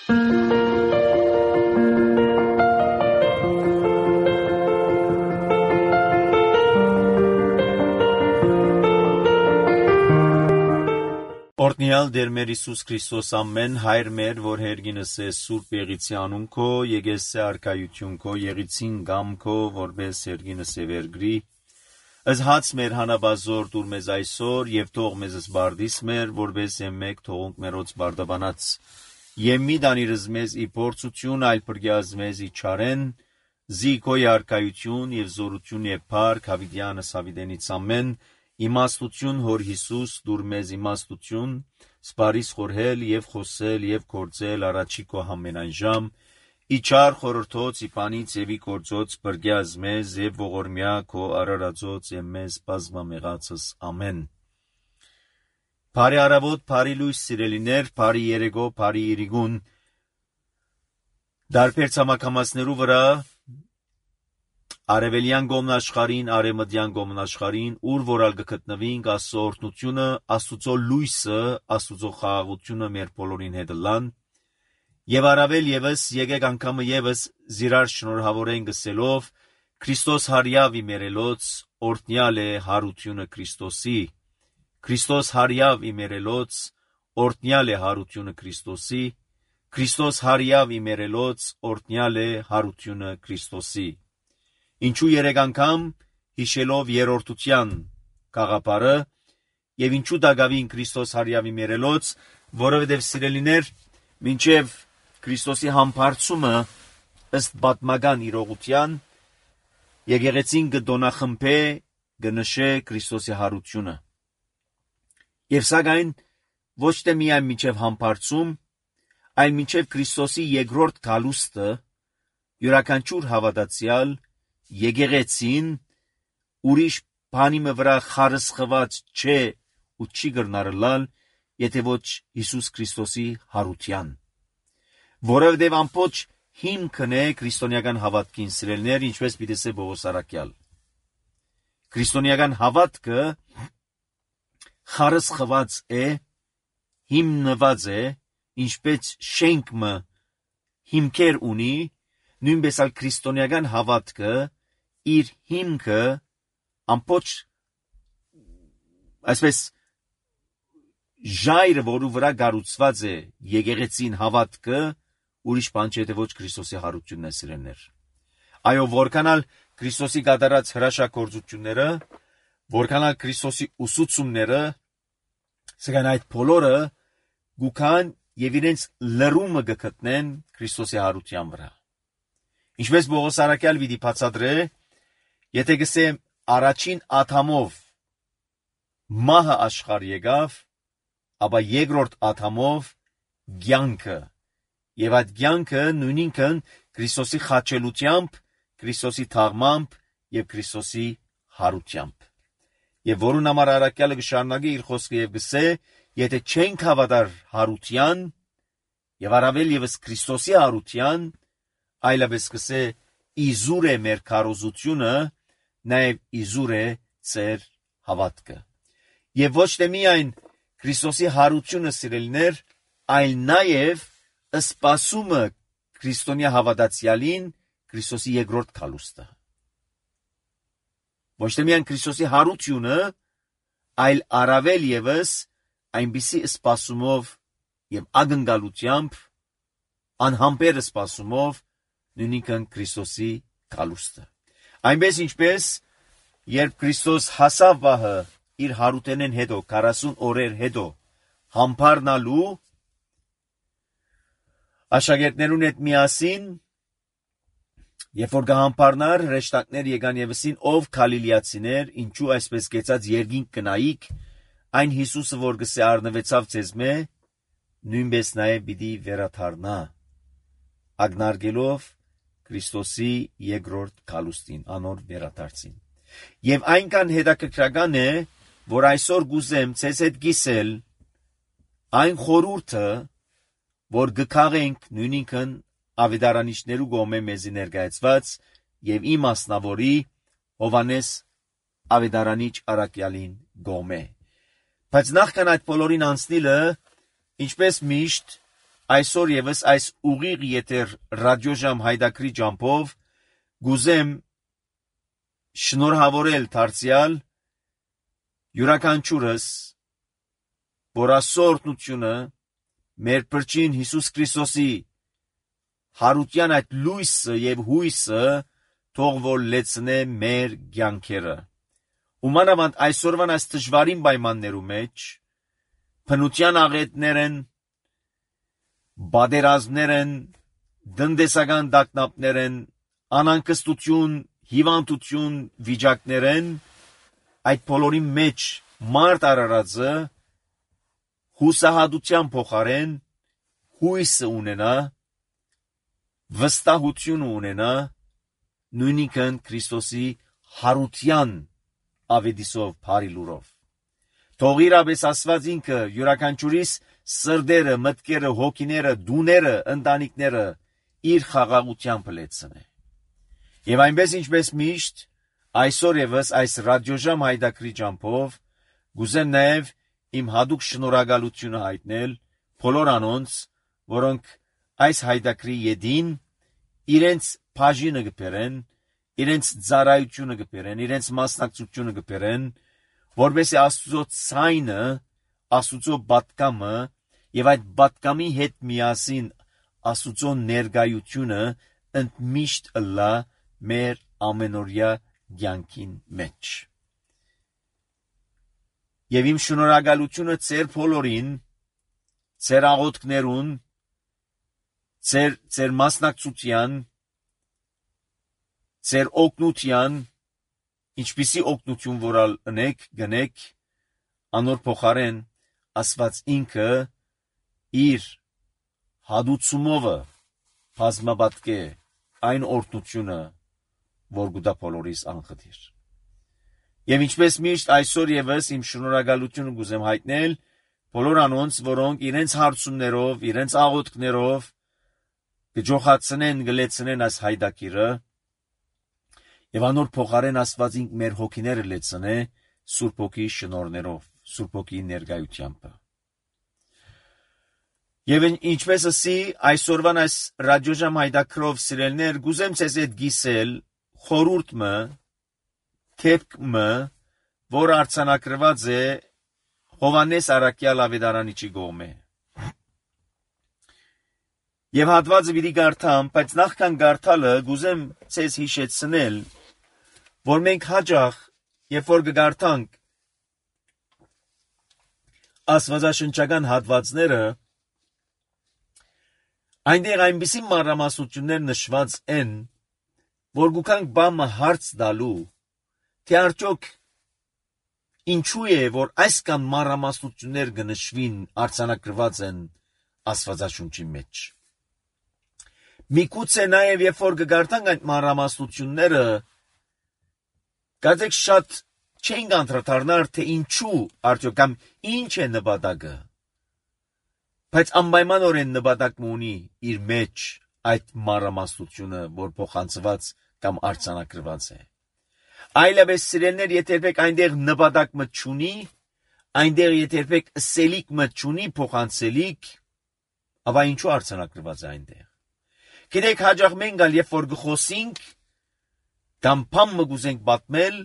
Օրհնյալ Տեր մեր Հիսուս Քրիստոս ամեն հայր մեր, որ հերգինս է Սուրբ Եղիցի անուն քո, եկես է արքայություն քո, եղիցին գամ քո, որպես հերգինս է վերգրի, ըզ հաց մեր հանաբազոր դուր մեզ այսօր, եւ թող մեզ զբարդիս մեր, որպես մեկ թողունք մերոց բարդաբանած, եւ մի դանիրս մեզ ի փորձություն, այլ բրգյազ մեզ ի չարեն, զի քո արքայություն եւ զորություն եւ փառք հավիտյանս հավիտենից ամեն, իմաստություն հոր Հիսուս դուր մեզ իմաստություն, սպարիս խորհել եւ խոսել եւ գործել առաջի քո ամենայն ժամ, իչար խորհրդոց իպանից եւի գործոց բրգյազ մեզ եւ ողորմյա քո արարածոց եւ մեզ բազմամեղածս ամեն։ Բարի արավոտ, բարի լույս սիրելիներ, բարի երեգո, բարի իրիգուն, դարբեր ցամաքամասներու վրա Արևելյան գոմնաշխարին, արևմտյան գոմնաշխարին, ուր որալ գտնվինք Աստծո օրհնությունը, Աստծո լույսը, Աստծո խաղաղությունը մեր բոլորին հետ լան, եւ առավել եւս եկեք անգամը եւս զիրար շնորհավորեն գսելով Քրիստոս հարյավ իմերելոց, օրհնյալ է հարությունը Քրիստոսի, Քրիստոս հարյավ իմերելոց, օրհնյալ է հարությունը Քրիստոսի, Քրիստոս հարյավ իմերելոց, օրհնյալ է հարությունը Քրիստոսի։ Ինչու երեք անգամ հիշելով երրորդության գաղափարը եւ ինչու դակավին Քրիստոս հարյավի մերելոց, որովհետեւ սիրելիներ, մինչեւ Քրիստոսի համբարձումը ըստ պատմական իրողության եկեղեցին կդոնախմբե կնշե Քրիստոսի հարությունը։ Եվ սակայն ոչ թե միայն մինչեւ համբարձում, այլ մինչեւ Քրիստոսի երկրորդ գալուստը յուրաքանչյուր հավատացյալ եկեղեցին ուրիշ բանի վրա խարսխված չէ ու չի գրնարլալ, եթե ոչ Հիսուս Քրիստոսի հարության, որովհետև ամբողջ հիմքն է քրիստոնեական հավատքին սիրելներ, ինչպես պիտի ասե Պողոս առաքյալ։ Քրիստոնեական հավատքը խարսխված է, հիմնված է, ինչպես շենքը հիմքեր ունի, նույնպես ալ քրիստոնեական հավատքը իր հիմքը ամբողջ այսպես ժայռը, որու վրա կառուցված է եկեղեցին հավատքը, ուրիշ բան չէ, թե ոչ Քրիստոսի հարությունն է սիրելներ։ Այո, որքանալ Քրիստոսի կատարած հրաշագործությունները, որքանալ Քրիստոսի ուսուցումները, սակայն այդ բոլորը գուքան եւ իրենց լրումը կգտնեն Քրիստոսի հարության վրա։ Ինչպես Պողոս առաքյալ պիտի բացատրե, եթե գսեմ առաջին աթամով մահը աշխարհ եկավ, ապա երկրորդ աթամով կյանքը, եւ այդ կյանքը նույնինքն Քրիստոսի խաչելությամբ, Քրիստոսի թաղմամբ եւ Քրիստոսի հարությամբ։ Եվ որուն համար առաքյալը կշարունակի իր խոսքը եւ գսե, եթե չենք հավատար հարության եւ առավել եւս Քրիստոսի հարության, այլապես կսե իզուր է մեր քարոզությունը, նաեւ իզուր է ծեր հավատքը։ Եվ ոչ թե միայն Քրիստոսի հարությունը սիրելիներ, այլ նաեւ սպասումը քրիստոնյա հավատացյալին Քրիստոսի երկրորդ գալուստը։ Ոչ թե միայն Քրիստոսի հարությունը, այլ առավել եւս այնպիսի սպասումով եւ ակնկալությամբ, անհամբեր սպասումով նույնիկն Քրիստոսի գալուստը։ Այնպես ինչպես երբ Քրիստոս հասավ վահը իր հարութենեն հետո 40 օրեր հետո համբարնալու աշակերտներուն հետ միասին, երբ որ գահամբարնար, հրեշտակներ եկան եւսին, ով Գալիլեացիներ, ինչու այսպես կեցած երկինք կնայիք, այն Հիսուսը, որ գսե առնվեցավ ձեզմե, նույնպես նաեւ պիտի վերադառնա, ագնարգելով Քրիստոսի երկրորդ գալուստին, անոր վերադարձին։ Եվ այնքան հետաքրքրական է, որ այսօր գուզեմ ցեզ հետ գիսել այն խորհուրդը, որ գքաղենք նույնինքն ավետարանիչներու գոմե մեզի ներկայացված եւ իմ մասնավորի Հովանես ավետարանիչ առաքյալին գոմե։ Բայց նախքան այդ բոլորին անցնիլը, ինչպես միշտ այսօր եւս այս ուղիղ եթեր ռադիոժամ հայդակրի ջամփով գուզեմ շնորհավորել դարձյալ յուրաքանչյուրս որասորտնությունը մեր Փրկին Հիսուս Քրիստոսի հարության այդ լույսը եւ հույսը թող որ լեցնե մեր կյանքերը։ Ումանավանդ այսօրվան այս դժվարին պայմաններու մեջ բնության աղետներ են, բادرազմներ են, դնդեսական դակնապներ են, անանկստություն, հիվանդություն, վիճակներ են, այդ բոլորի մեջ մարդ արարածը հուսահատության փոխարեն հույսը ունենա, վստահություն ունենա, նույնիսկ Քրիստոսի հարության ավետիսով բարի լուրով։ Թող իրապես Աստված ինքը յուրաքանչյուրիս սրդերը, մտքերը, հոգիները, դուները, ընտանիքները իր խաղաղությամբ լեցնե։ Եվ այնպես ինչպես միշտ այսօր եւս այս ռադիոժամ հայդակրի ջամփով գուզեմ նաեւ իմ հadouk շնորհակալությունը հայտնել բոլոր անոնց, որոնք այս հայդակրի յետին իրենց բաժինը կբերեն, իրենց ծառայությունը կբերեն, իրենց մասնակցությունը կբերեն, որովհետեւ Աստծո ցայնը, Աստծո պատկամը եւ այդ պատկամի հետ միասին Աստծո ներկայությունը ընդմիշտ լա մեր ամենօրյա կյանքին մեջ։ Եվ իմ շնորհակալությունը ձեր բոլորին, ձեր աղոթքներուն, ձեր մասնակցության, ձեր օգնության, ինչպիսի օգնություն որալ ընեք, գնեք, անոր փոխարեն Աստված ինքը իր հադուցումովը բազմապատկե այն օրհնությունը, որ գուտա բոլորիս անխտիր։ Եվ ինչպես միշտ այսօր եւս իմ շնորհակալությունը գուզեմ հայտնել բոլոր անոնց, որոնք իրենց հարցումներով, իրենց աղոթքներով կջոխացնեն, գլեցնեն այս հայդակիրը, եւ անոր փոխարեն Աստված ինք մեր հոգիները լեցնե Սուրբ Հոգի շնորհներով, Սուրբ Հոգի ներկայությամբ։ Եվ ինչպես ասի այսօրվան այս ռադիոժամ հայդակրով սիրելներ, գուզեմ ցեզ այդ գիսել խորուրդը, թեփքը, որ արցանակրված է Հովանես Արաքյալ ավետարանիչի կողմէ։ Եվ հատվածը պիտի կարդամ, բայց նախքան կարդալը գուզեմ ցեզ հիշեցնել, որ մենք հաճախ, երբ որ կկարդանք աստվածաշնչական հատվածները, այնտեղ այնպիսի մանրամասնություններ նշված են, որ գուքանք բամը հարց տալու, թե արդյոք ինչու է, որ այսքան մանրամասնություններ կնշվին արձանագրված են աստվածաշունչի մեջ։ Միգուցե նաև երբ որ կկարդանք այդ մանրամասնությունները, գիտեք շատ չենք անդրադառնալ, թե ինչու արդյոք կամ ինչ է նպատակը, բայց անպայմանորեն նպատակ ունի իր մեջ այդ մանրամասնությունը, որ փոխանցված կամ արձանագրված է։ Այլապես սիրելներ, եթե երբեք այնտեղ նպատակ մտ չունի, այնտեղ եթե երբեք սելիկ մտ չունի փոխանցելիք, ապա ինչու արձանագրված է այնտեղ։ Գիտեք, հաճախ մենք ալ երբ որ գխոսենք, կամ բան մգուզենք պատմել,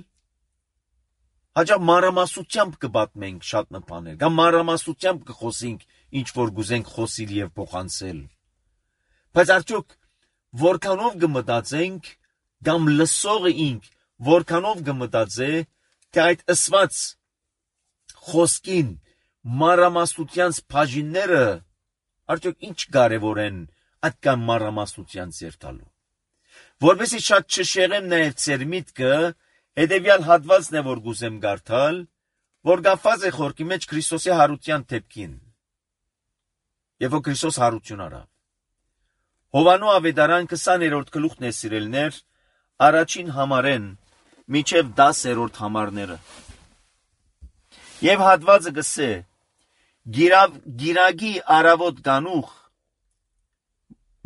հաճախ մանրամասնությամբ կպատմենք շատ բաներ, կամ մանրամասնությամբ կխոսենք ինչ որ գուզենք խոսիլ եւ փոխանցել։ Բայց արդյոք որքանով կմտածենք, կամ լսողը ինք որքանով կմտածե, թե այդ ըսված խոսքին մանրամասնության բաժինները արդյոք ինչ կարևոր են այդքան մանրամասնության ձերտալու։ Որովհետեւ շատ չշեղեմ նաև ձեր միտքը, հետևյալ հատվածն է, որ գուզեմ կարդալ, որ կապված է խորքի մեջ Քրիստոսի հարության դեպքին։ Եվ որ Քրիստոս հարություն արավ։ Հովանու ավետարան 20-րդ գլուխն է սիրելներ, առաջին համարեն մինչև 10-րդ համարները։ Եվ հատվածը գսե. Գիրագի արավոտ գանուխ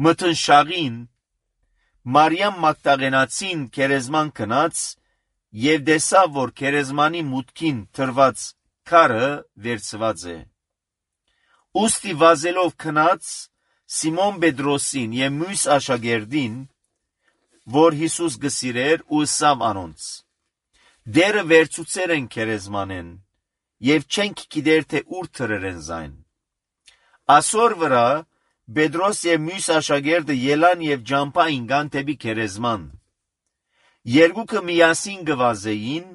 մթնշաղին Մարիամ Մագդաղենացին քերեզման կնաց եւ տեսավ, որ քերեզմանի մուտքին թրված քարը վերցված է։ Ուստի վազելով կնաց, Սիմոն Պետրոսին եւ մյուս աշակերտին, որ Հիսուս գսիրեր ու սամ անոնց. դերը վերցուցեր են քերեզմանեն եւ չենք գիտեր թե ուր թրերեն զայն։ Ասոր վրա Պետրոս եւ մյուս աշակերտը ելան եւ ջամփա ինգան դեպի քերեզման։ Երկուքը միասին գվազեին,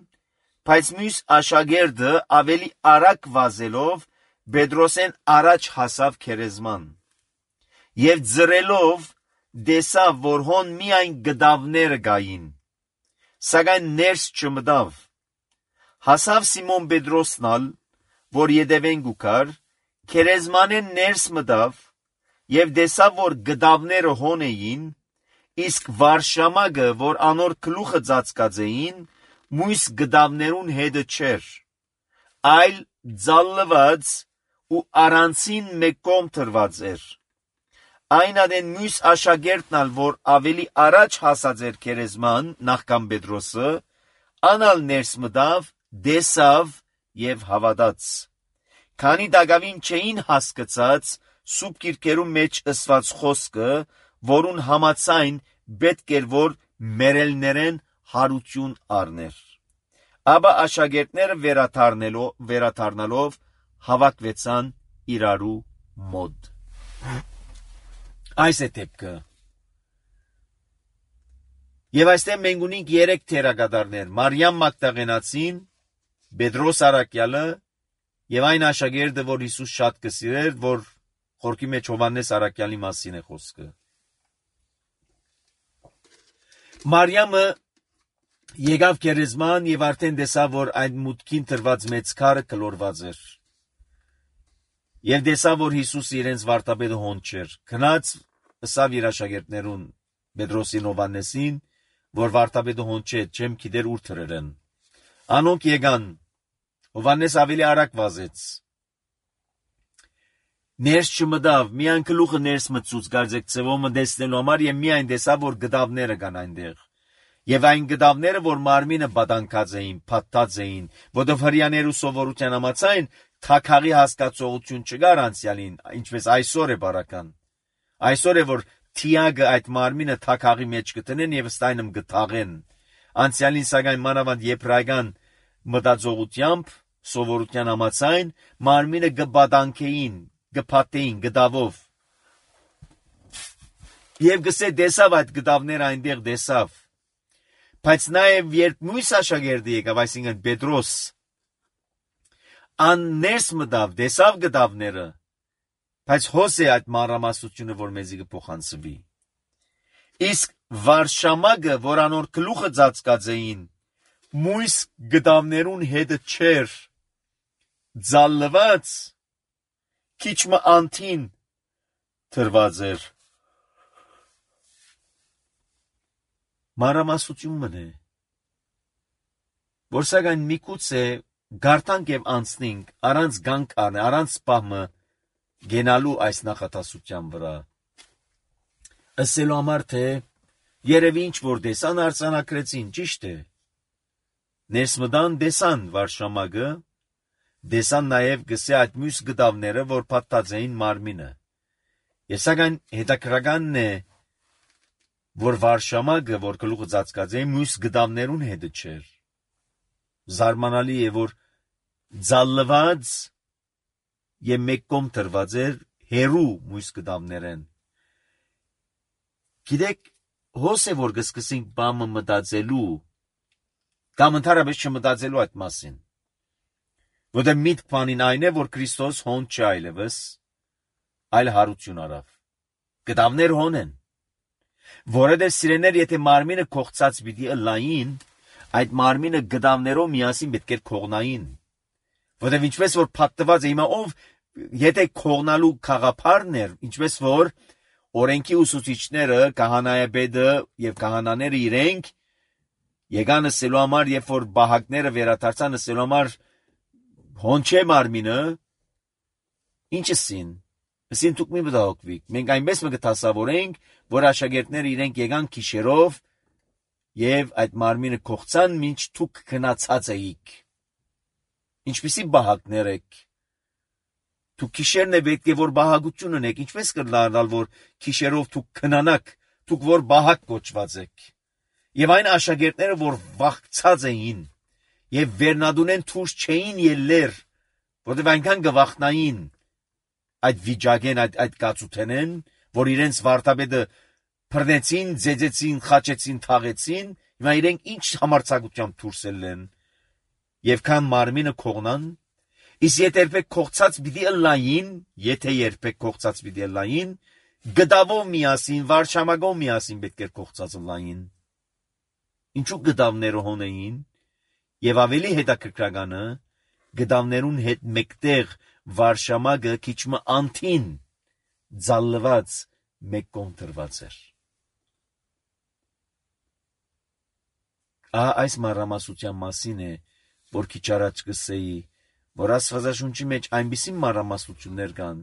բայց մյուս աշակերտը ավելի արագ վազելով Պետրոսեն առաջ հասավ քերեզման։ Եվ ձրելով դեսավ, որ հոն միայն գդավները գային, սակայն ներս չմտավ։ Հասավ Սիմոն Պետրոսնալ, որ ետևեն գուքար, քերեզմանեն ներս մտավ, եւ դեսավ, որ գդավները հոն էին, իսկ վարշամակը, որ անոր գլուխը ծածկած էին, մույս գդավներուն հետը չէր, այլ ձալլված ու առանցին մեկում թրված էր։ Այն ադեն մյուս աշակերտն, որ ավելի առաջ հասած էր քերեզման նախքան Պետրոսը, անալ ներս մտավ, դեսավ եւ հավատաց։ Քանի դակավին չէին հասկացած սուրբ գիրքերում մեջ ըսված խոսքը, որուն համաձայն պետք էր որ մերելներեն հարություն առներ։ Ապա աշակերտները վերադառնալով հավաքվեցան իրարու մոտ։ Այս է դեպքը։ Եվ այստեղ մենք ունենք 3 թերակատարներ՝ Մարիամ Մագդաղենացին, Պետրոս Արաքյալը եւ այն աշակերտը, որ Հիսուս շատ կսիրեր, որ խորքի մեջ Հովհաննես Արաքյալի մասին է խոսքը։ Մարիամը եկավ քերեզման եւ արդեն տեսավ, որ այդ մուտքին տրված մեծ քարը կլորված էր։ Եվ տեսավ, որ Հիսուսը իրենց վարտապետը հոն չէր։ Գնաց ըսավ իր աշակերտներուն Պետրոսին Հովհաննեսին, որ վարտապետը հոն չէ, չեմ գիտեր ուր թրերեն։ Անոնք եկան։ Հովհաննես ավելի արագ վազեց։ Ներս չմտավ, միայն գլուխը ներս մտցուց գարձեք ծևոմը տեսնելու համար եւ միայն տեսավ, որ գդավները կան այնտեղ։ Եվ այն գդավները, որ մարմինը բադանքած էին, փաթաթած էին, որտեղ հրյաներու սովորության համաձայն թակաղի հասկացողություն չկար անցյալին, ինչպես այսօր է բարական։ Այսօր է որ թիագը այդ մարմինը թակաղի մեջ կտնեն եւ ստայնում գթաղեն։ Անցյալին սակայն մանավանդ եբրայական մտածողությամբ սովորության համաձայն մարմինը գբադանքեին, գփաթեին, գդավով։ Եվ գսե դեսավ այդ գդավները այնտեղ դեսավ։ Բայց նաեւ երբ մյուս աշակերտը եկավ, այսինքն Պետրոս, ան ներս մտավ, դեսավ գդավները, բայց հոս է այդ մանրամասնությունը, որ մեզի կփոխանցվի։ Իսկ վարշամակը, որ անոր գլուխը ծածկած էին, մույս գդավներուն հետը չէր, ձալլված, քիչմը անթին թրված էր։ Մանրամասնությունն է, որ սակայն միգուցե գարտանք եւ անցնենք առանց գանք առնե, առանց սպահմը գենալու այս նախատասության վրա։ Ասելու համար թե երևի ինչ որ դեսան արձանագրեցին, ճիշտ է։ Ներս մտան դեսան վարշամակը, դեսան նաեւ գսե այդ մյուս գդավները, որ փաթաթած էին մարմինը։ Եվ սակայն հետաքրքրականն է, որ վարշամակը, որ գլուխը ծածկած է, մյուս գդավներուն հետը չէր։ Զարմանալի է, որ ձալլված եւ մեկում տրված էր հերու մույս գդավներեն։ Գիտեք, հոս է որ կսկսենք բամը մտածելու, կամ ընդհանրապես չմտածելու այդ մասին։ Որտեղ միտք բանին այն է, որ Քրիստոս հոն չէ այլևս, այլ հարություն արավ։ Գդավներ հոն են։ Որովհետև սիրեներ, եթե մարմինը կողծած պիտի ըլլային, այդ մարմինը գդավներով միասին պետք է կողնային։ Որովհետև ինչպես որ փաթթված է հիմա ով, եթե կողնալու խաղապարն էր, ինչպես որ օրենքի ուսուցիչները, քահանայապետը եւ քահանաները իրենք եկան ասելու համար, երբ որ բահակները վերադարձան ասելու համար հոն չէ մարմինը, ինչ ասին։ Ասին դուք մի մտահոգվեք։ Մենք այնպես մը կտասավորենք, որ աշակերտները իրենք եկան քիշերով եւ այդ մարմինը կողցան, մինչ դուք գնացած էիք։ Ինչպիսի բահակներ եք։ Դուք քիշերն է պետք է որ բահագություն ունեք, ինչպես կդառնալ որ քիշերով դուք քնանաք, դուք որ բահակ կոչված եք։ Եվ այն աշակերտները որ վախցած էին եւ վերնադունեն թուրս չէին ելներ, որտեղ այնքան գվախնային այդ վիճակեն այդ կացութենեն, որ իրենց վարտաբեդը բռնեցին, ձեծեցին, խաչեցին, թաղեցին, հիմա իրենք ինչ համարձակությամբ դուրս ելեն եւ քան մարմինը կողնան, իսկ եթե երբեք կողցած պիտի ըլլային, գդավով միասին, վարշամագով միասին պետք է կողցած ըլլային։ Ինչու գդավները հոնեին եւ ավելի հետաքրքրականը գդավներուն հետ մեկտեղ վարշամագը քիչմը անթին ձալված մեկ կողմ դրված էր։ Այս մանրամասնության մասին է, որ քիչ առաջ կսեի, որ Աստվածաշունչի մեջ այնպիսի մանրամասնություններ կան,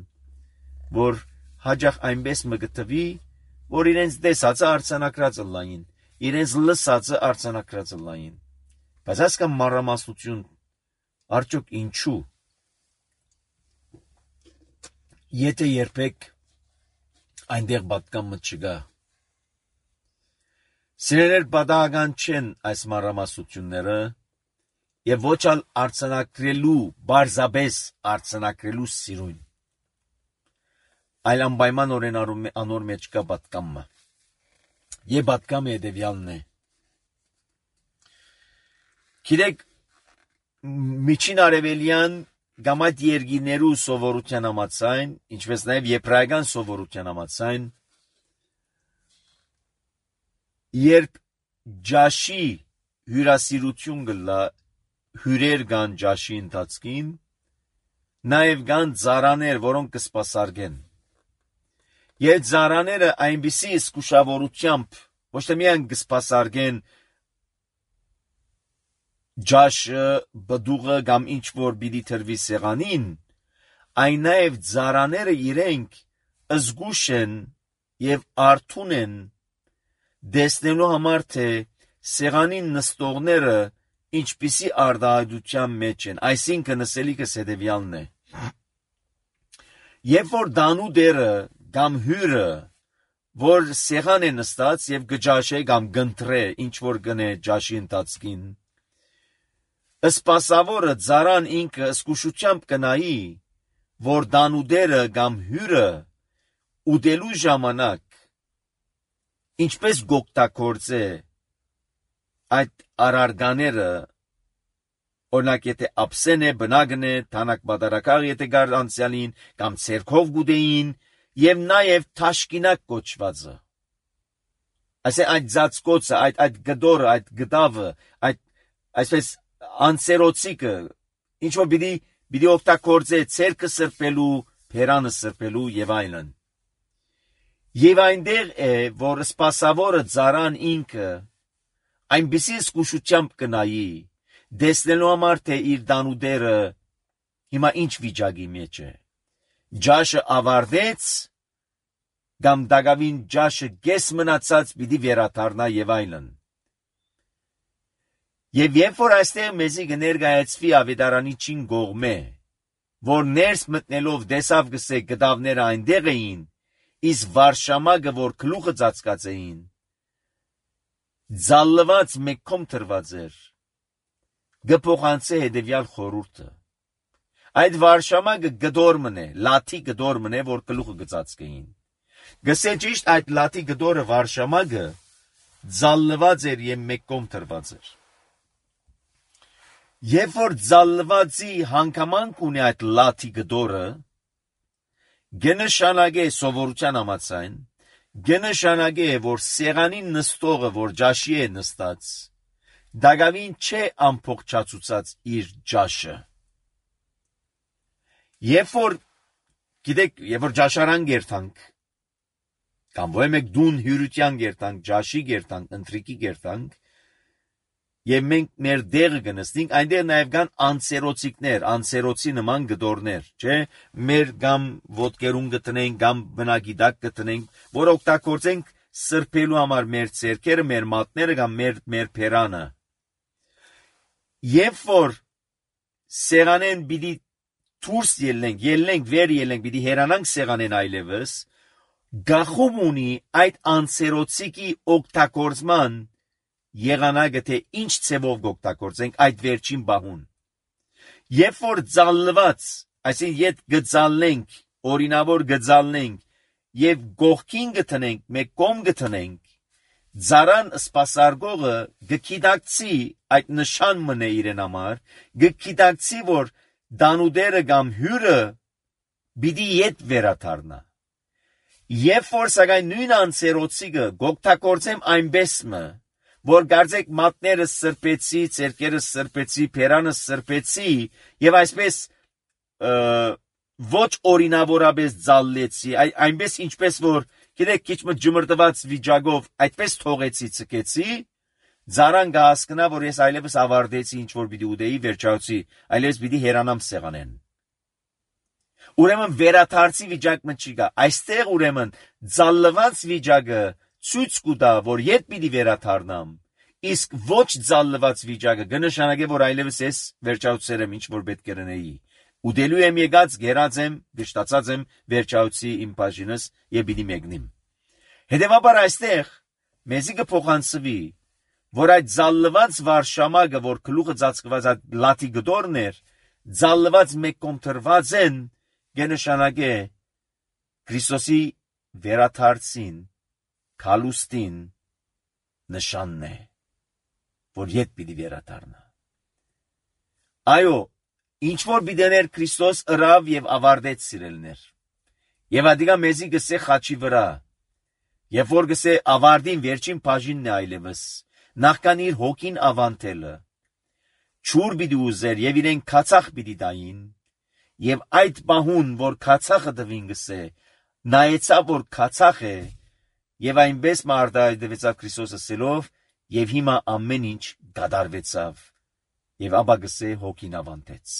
որ հաջող այնպես մը գտվի, որ իրենց տեսածը արձանագրած ըլլային, իրենց լսածը արձանագրած ըլլային։ Բայց ասկա մանրամասնություն արդյոք ինչու։ Եթե երբեք այնտեղ պատկամը չգա։ Սիրելիներ, պատահական չեն այս մանրամասնությունները եւ ոչ ալ արձանագրելու, բարձաբես արձանագրելու սիրուն։ Այլ անպայմանորեն անոր մեջ կա պատկամը։ Եվ պատկամը հետևյալն է։ Գիտեք, միջին արևելյան կամ այդ երկիներու սովորության համաձայն, ինչպես նաև եբրայական սովորության համաձայն, երբ ջաշի հյուրասիրություն գլա հյուրեր կան ջաշի ընթացքին, նաև կան ծառաներ, որոնք կսպասարկեն։ Եվ ծառաները այնպիսի զգուշավորությամբ ոչ թե միայն կսպասարկեն ջաշը, բդուղը կամ ինչ որ պիտի թրվի սեղանին, այն նաև ծառաները իրենք զգուշ են եւ արթուն են դեսնելու համար թե սեղանին նստողները ինչպիսի արտահայտության մեջ են, այսինքն ասելիքս հետևյալն է. երբ որ դանու դերը կամ հյուրը, որ սեղան է նստած եւ գջաշե կամ գընտրե, ինչ որ գնե ջաշի ընթացքին, սպասավորը ծառան ինքը զգուշությամբ կնայի, որ դանու դերը կամ հյուրը ուտելու ժամանակ ինչպես գոկտակորձե այդ արարգաները, օրինակ եթե ապսեն է, բնագն է, թանակ բադարակաղ եթե գար անցյալին, կամ ցերքով գուդեին, եւ նաեւ թաշկինակ կոչվածը։ Այսինքն այդ ծածկոցը, այդ գդորը, այդ գդավը, այսպես անցերոցիկը, ինչ որ պիտի օգտագործե ցերքը սրբելու, փերանը սրբելու եւ այլն։ Եվ այնտեղ է, որ սպասավորը ծառան ինքը այնպիսի զգուշությամբ կնայի, դեսնելու համար թե իր դանուդերը հիմա ինչ վիճակի մեջ է։ Ջաշը ավարտեց, կամ դակավին ջաշը կես մնացած պիտի վերադառնա եւ այլն։ Եվ երբ որ այստեղ մեզի կներկայացվի ավետարանի չին կողմե, որ ներս մտնելով դեսավ գսե գդավները այնտեղ էին, իսկ վարշամագը, որ գլուխը ծածկած էին, ձալված մեկքում թրված էր, գփոխանցե հետևյալ խորհուրդը. այդ վարշամագը գդոր մնե, լաթի գդոր մնե, որ գլուխը գծածկեին։ Գսե ճիշտ այդ լաթի գդորը վարշամագը ձալված էր եւ մեկքում թրված էր։ Երբ որ ձալվածի հանգամանք ունի այդ լաթի գդորը, գնշանագե սովորության համաձայն, գնշանագե, որ սեղանին նստողը, որ ջաշի է նստած, դակավին չէ ամփոփչացուցած իր ջաշը։ Երբ որ, գիտեք, երբ որ ջաշարան գերտանք, կամ ոչ մեկ դուն հյուրության գերտանք, ջաշի գերտանք, ընտրիկի գերտանք, եւ մենք մեր դեղը կնստենք, այնտեղ նաեւ կան անցերոցիկներ, անցերոցի նման գդորներ, չէ՞, մեր կամ ոտքերուն գտնենք, կամ բնագիտակ գտնենք, որ օգտագործենք սրբելու համար մեր ցերքերը, մեր մատները կամ մեր փերանը։ Երբ որ սեղանեն պիտի դուրս ելնենք, վեր ելնենք, պիտի հերանանք սեղանեն այլևս, գախում ունի այդ անսերոցիկի օգտագործման եղանակը, թե ինչ ցևով կօգտագործենք այդ վերջին բահուն։ Երբ որ ծալված, այսինքն ետ գծալնենք, օրինավոր գծալնենք եւ գողքին գտնենք, մեկ կողմ գտնենք, Զարան սպասարկողը գկիդակցի այդ նշան մնե իրեն համար, գկիդակցի, որ դանուդերը կամ հյուրը պիտի ետ վերադառնա։ Երբ որ սակայն նույն անսերոցիկը գօգտագործեմ այնպես մը, որ գարձեք մատները սրբեցի, ցերկերը սրբեցի, փերանը սրբեցի եւ այսպես ոչ օրինավորապես ծալլեցի, այնպես ինչպես որ գիտեք քիչ մը ջմրտված վիճակով այդպես թողեցի ցկեցի, Զարան կհասկնա, որ ես այլևս ավարտեցի ինչ որ պիտի ուտեի, վերջացի, այլևս պիտի հերանամ սեղանեն։ Ուրեմն վերաթարցի վիճակը չի գա, այստեղ ուրեմն ծալլված վիճակը ցույց կտա, որ ետ պիտի վերաթարնամ, իսկ ոչ ծալլված վիճակը կնշանակի, որ այլևս ես վերջացել եմ ինչ որ պետք է լինեի։ Ուտելու եմ եկած, գերած եմ, գշտացած եմ, վերջացի իմ բաժինս եւ պիտի մեկնիմ։ Հետևաբար այստեղ մեզի կփոխանցվի, որ այդ ծալլված վարշամակը, որ գլուխը ծածկված այդ լաթի գդորն էր, ծալլված մեկ կողմ թրված են, կնշանակի Քրիստոսի վերաթարցին, քալուստին նշանն է, որ ետ պիտի վերադառնա։ Այո, ինչ որ պիտեներ Քրիստոս ըրավ եւ ավարտեց սիրելներ։ Եվ ադիգա մեզի գսե խաչի վրա, երբ որ գսե ավարտին վերջին բաժինն է այլևս, նախքան իր հոգին ավանտելը, ճուր պիտի ուզեր եւ իրեն քացախ պիտի տային, եւ այդ բահուն, որ քացախը տվին գսե, նայեցավ, որ քացախ է, եւ այնպես մարտահայտվեցավ Քրիստոսը սելով, եւ հիմա ամեն ինչ գադարվեցավ, եւ ապա գսե հոգին ավանտեց։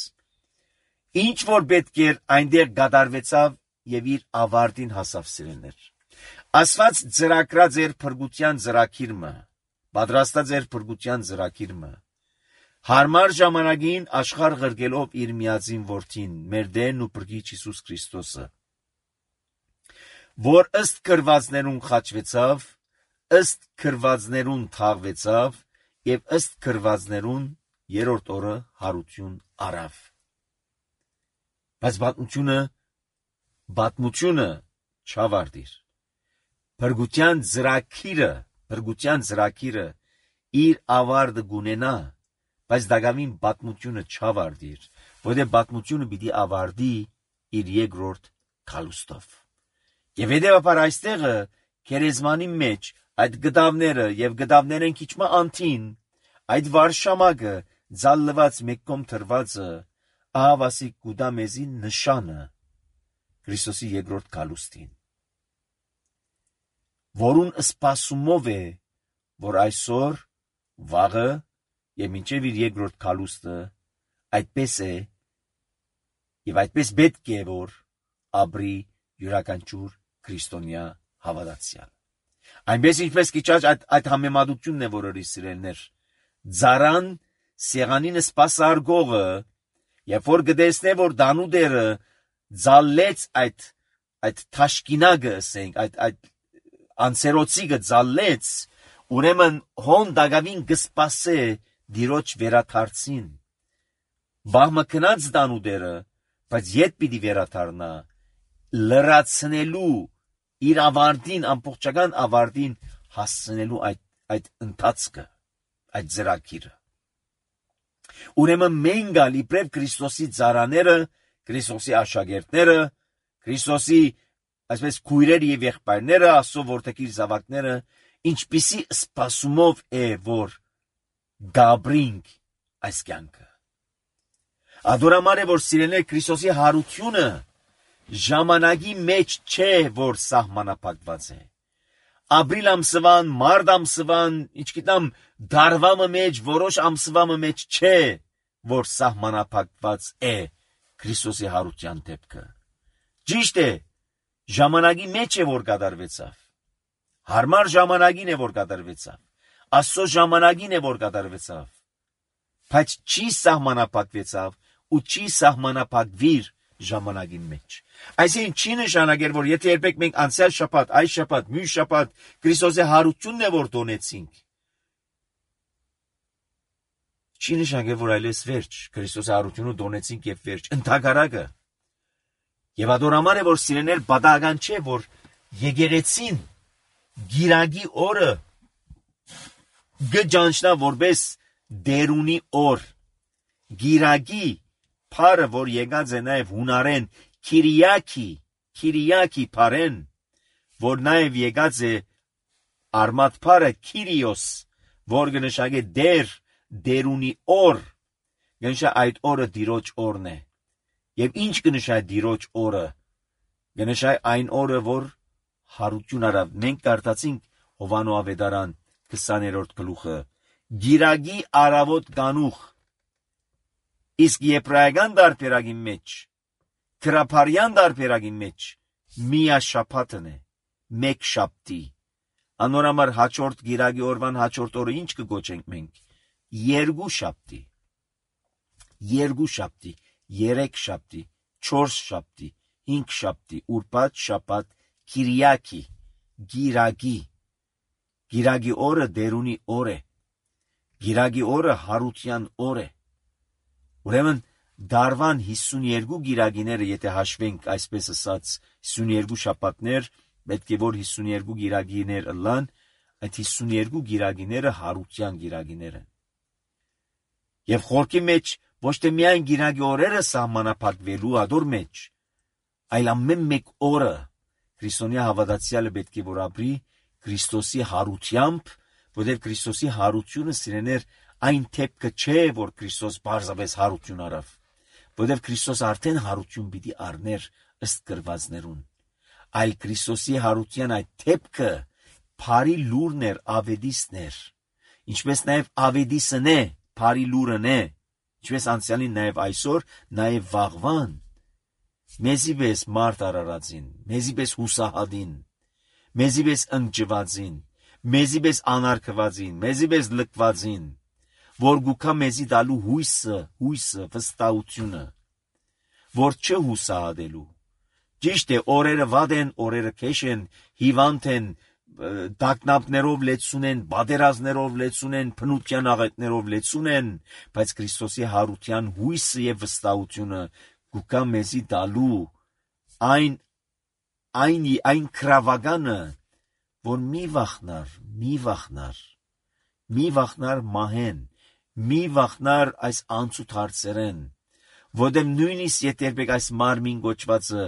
Ինչ որ պետք էր այնտեղ գադարվեցավ եւ իր ավարտին հասավ սիրելներ։ Ասված ծրակրած էր փրկության ծրակիրը, պատրաստած էր փրկության ծրակիրը։ Հարմար ժամանակին աշխարհ ղրկելով իր միածին որդին, մեր Տերն ու Փրկիչ Հիսուս Քրիստոսը, որ ըստ քրվածներուն խաչվեցավ, ըստ քրվածներուն թաղվեցավ եւ ըստ քրվածներուն երրորդ օրը հարություն արավ։ Բայց պատմությունը չավարտիր։ Փրկության ծրակիրը իր ավարտը գունենա, բայց դակամին պատմությունը չավարտիր, որտեղ պատմությունը պիտի ավարտի իր երկրորդ քալուստով։ Եվ հետևաբար այստեղը քերեզմանի մեջ այդ գդավները եւ գդավներեն քիչմա անտին, այդ վարշամակը ծալլված մեկ կողմ թրվածը ահավասիկ կուտա մեզի նշանը Քրիստոսի երկրորդ քալուստին, որուն սպասումով է, որ այսօր վաղը եւ մինչեւ իր երկրորդ քալուստը այդպես է եւ այդպես պետք է որ ապրի յուրաքանչյուր քրիստոնյա հավատացյալ։ Այնպես ինչպես քիչած այդ համեմատությունն է, որը սիրելներ, Զարան սեղանին սպասարկողը, երբ որ գտեսնե, որ դանուդերը ծալլեց այդ թաշկինակը, ասենք, այդ անսերոցիկը ծալլեց, ուրեմն հոն դակավին կսպասե դիրոջ վերաթարցին։ Բահմը կնած դանուդերը, բայց ետ պիտի վերաթարնա, լրացնելու իր ավարտին, ամբողջական ավարտին հասցնելու այդ ընթացքը, այդ ծրագիրը։ Ուրեմն մենք ալ իբրև Քրիստոսի ծառաները, Քրիստոսի աշակերտները, Քրիստոսի այսպես քույրերը եւ եղբայրները, Աստծո որդեգիր զավակները, ինչպիսի սպասումով է, որ գաբրինք այս կյանքը։ Ադորամար է, որ սիրելիներ, Քրիստոսի հարությունը ժամանակի մեջ չէ, որ սահմանափակված է։ Ապրիլ ամսվան, մարտ ամսվան, ինչ գիտեմ, դարվամը մեջ, որոշ ամսվամը մեջ չէ, որ սահմանափակված է Քրիստոսի հարության դեպքը։ Ճիշտ է, ժամանակի մեջ է, որ կատարվեցավ։ Հարմար ժամանակին է, որ կատարվեցավ։ Աստծո ժամանակին է, որ կատարվեցավ։ Բայց չի սահմանափակվեցավ ու չի սահմանափակվիր ժամանակի մեջ։ Այսինքն չի նշանակեր, որ եթե երբեք մենք անցյալ շաբաթ, այս շաբաթ, մյուս շաբաթ Քրիստոսի հարությունն է որ տոնեցինք, չի նշանակեր, որ այլևս վերջ, Քրիստոսի հարությունը տոնեցինք եւ վերջ, ընդհակառակը։ Եվ ադորամար է, որ սիրեներ բադական չէ, որ եկեղեցին գիրագի օրը գճանչնա որպես դերունի օր, գիրագի Փարը, որ եկած է նաև հունարեն Քիրիակի Փարեն, որ նաև եկած է արմատ Փարը Քիրիոս, որ կնշանակե դերունի օր, կնշա այդ օրը Տիրոջ օրն է։ Եվ ինչ կնշա Տիրոջ օրը, կնշա այն օրը, որ հարություն արավ։ Մենք կարդացինք Հովանո ավետարան 20-րդ գլուխը, գիրագի արավոտ կանուխ, իսկ եբրայական դարբերակի մեջ, քրափարյան դարբերակի մեջ միաշաբաթն է, մեկ շաբթի։ Անորամար հաջորդ գիրագի օրվան հաջորդ օրը ինչ կգոչենք մենք։ Երկու շաբթի, երեք շաբթի, 4 շաբթի, 5 շաբթի, ուրբաթ, շաբաթ, Քիրիակի, գիրագի օրը դերունի օր է, գիրագի օրը հարության օր է։ Ուրեմն դարվան 52 գիրագիները, եթե հաշվենք այսպես ասած 52 շաբաթներ, պետք է որ 52 գիրագիներ ըլլան, այդ 52 գիրագիները հարության գիրագիներ են։ Եվ խորքի մեջ ոչ թե միայն գիրագի օրերը սահմանափակվելու ադոր մեջ, այլ ամեն մեկ օրը քրիստոնյա հավատացյալը պետք է որ ապրի Քրիստոսի հարությամբ, որտեղ Քրիստոսի հարությունը սիրեներ այն թեփքը չէ, որ Քրիստոս բարձրապես հարություն արավ, որտեղ Քրիստոս արդեն հարություն պիտի առներ ըստ գրվածներուն, այլ Քրիստոսի հարության այդ թեփքը Փարի լուրն էր, ավետիսն էր, ինչպես նաև ավետիսն է, Փարի լուրն է, ինչպես անցյալին նաև այսօր, նաև վաղվան, մեզի պես մարդ արարածին, մեզի պես հուսահատին, մեզի պես ընկճվածին, մեզի պես անարգվածին, մեզի պես լքվածին, որ գուքա մեզի դալու հույսը, վստահությունը, որ չհուսահատելու։ Ճիշտ է, օրերը վատ են, օրերը քեշ են, հիվանդ են, դակնապներով լեցուն են, բادرազներով լեցուն են, փնության աղետներով լեցուն են, բայց Քրիստոսի հարության հույսը եւ վստահությունը գուքա մեզի դալու այն քրավագանը, որ մի վախնար մահեն, մի վախնար այս անցուտ հարցերեն, որտեղ նույնիսկ եթե այս մարմին գոչվածը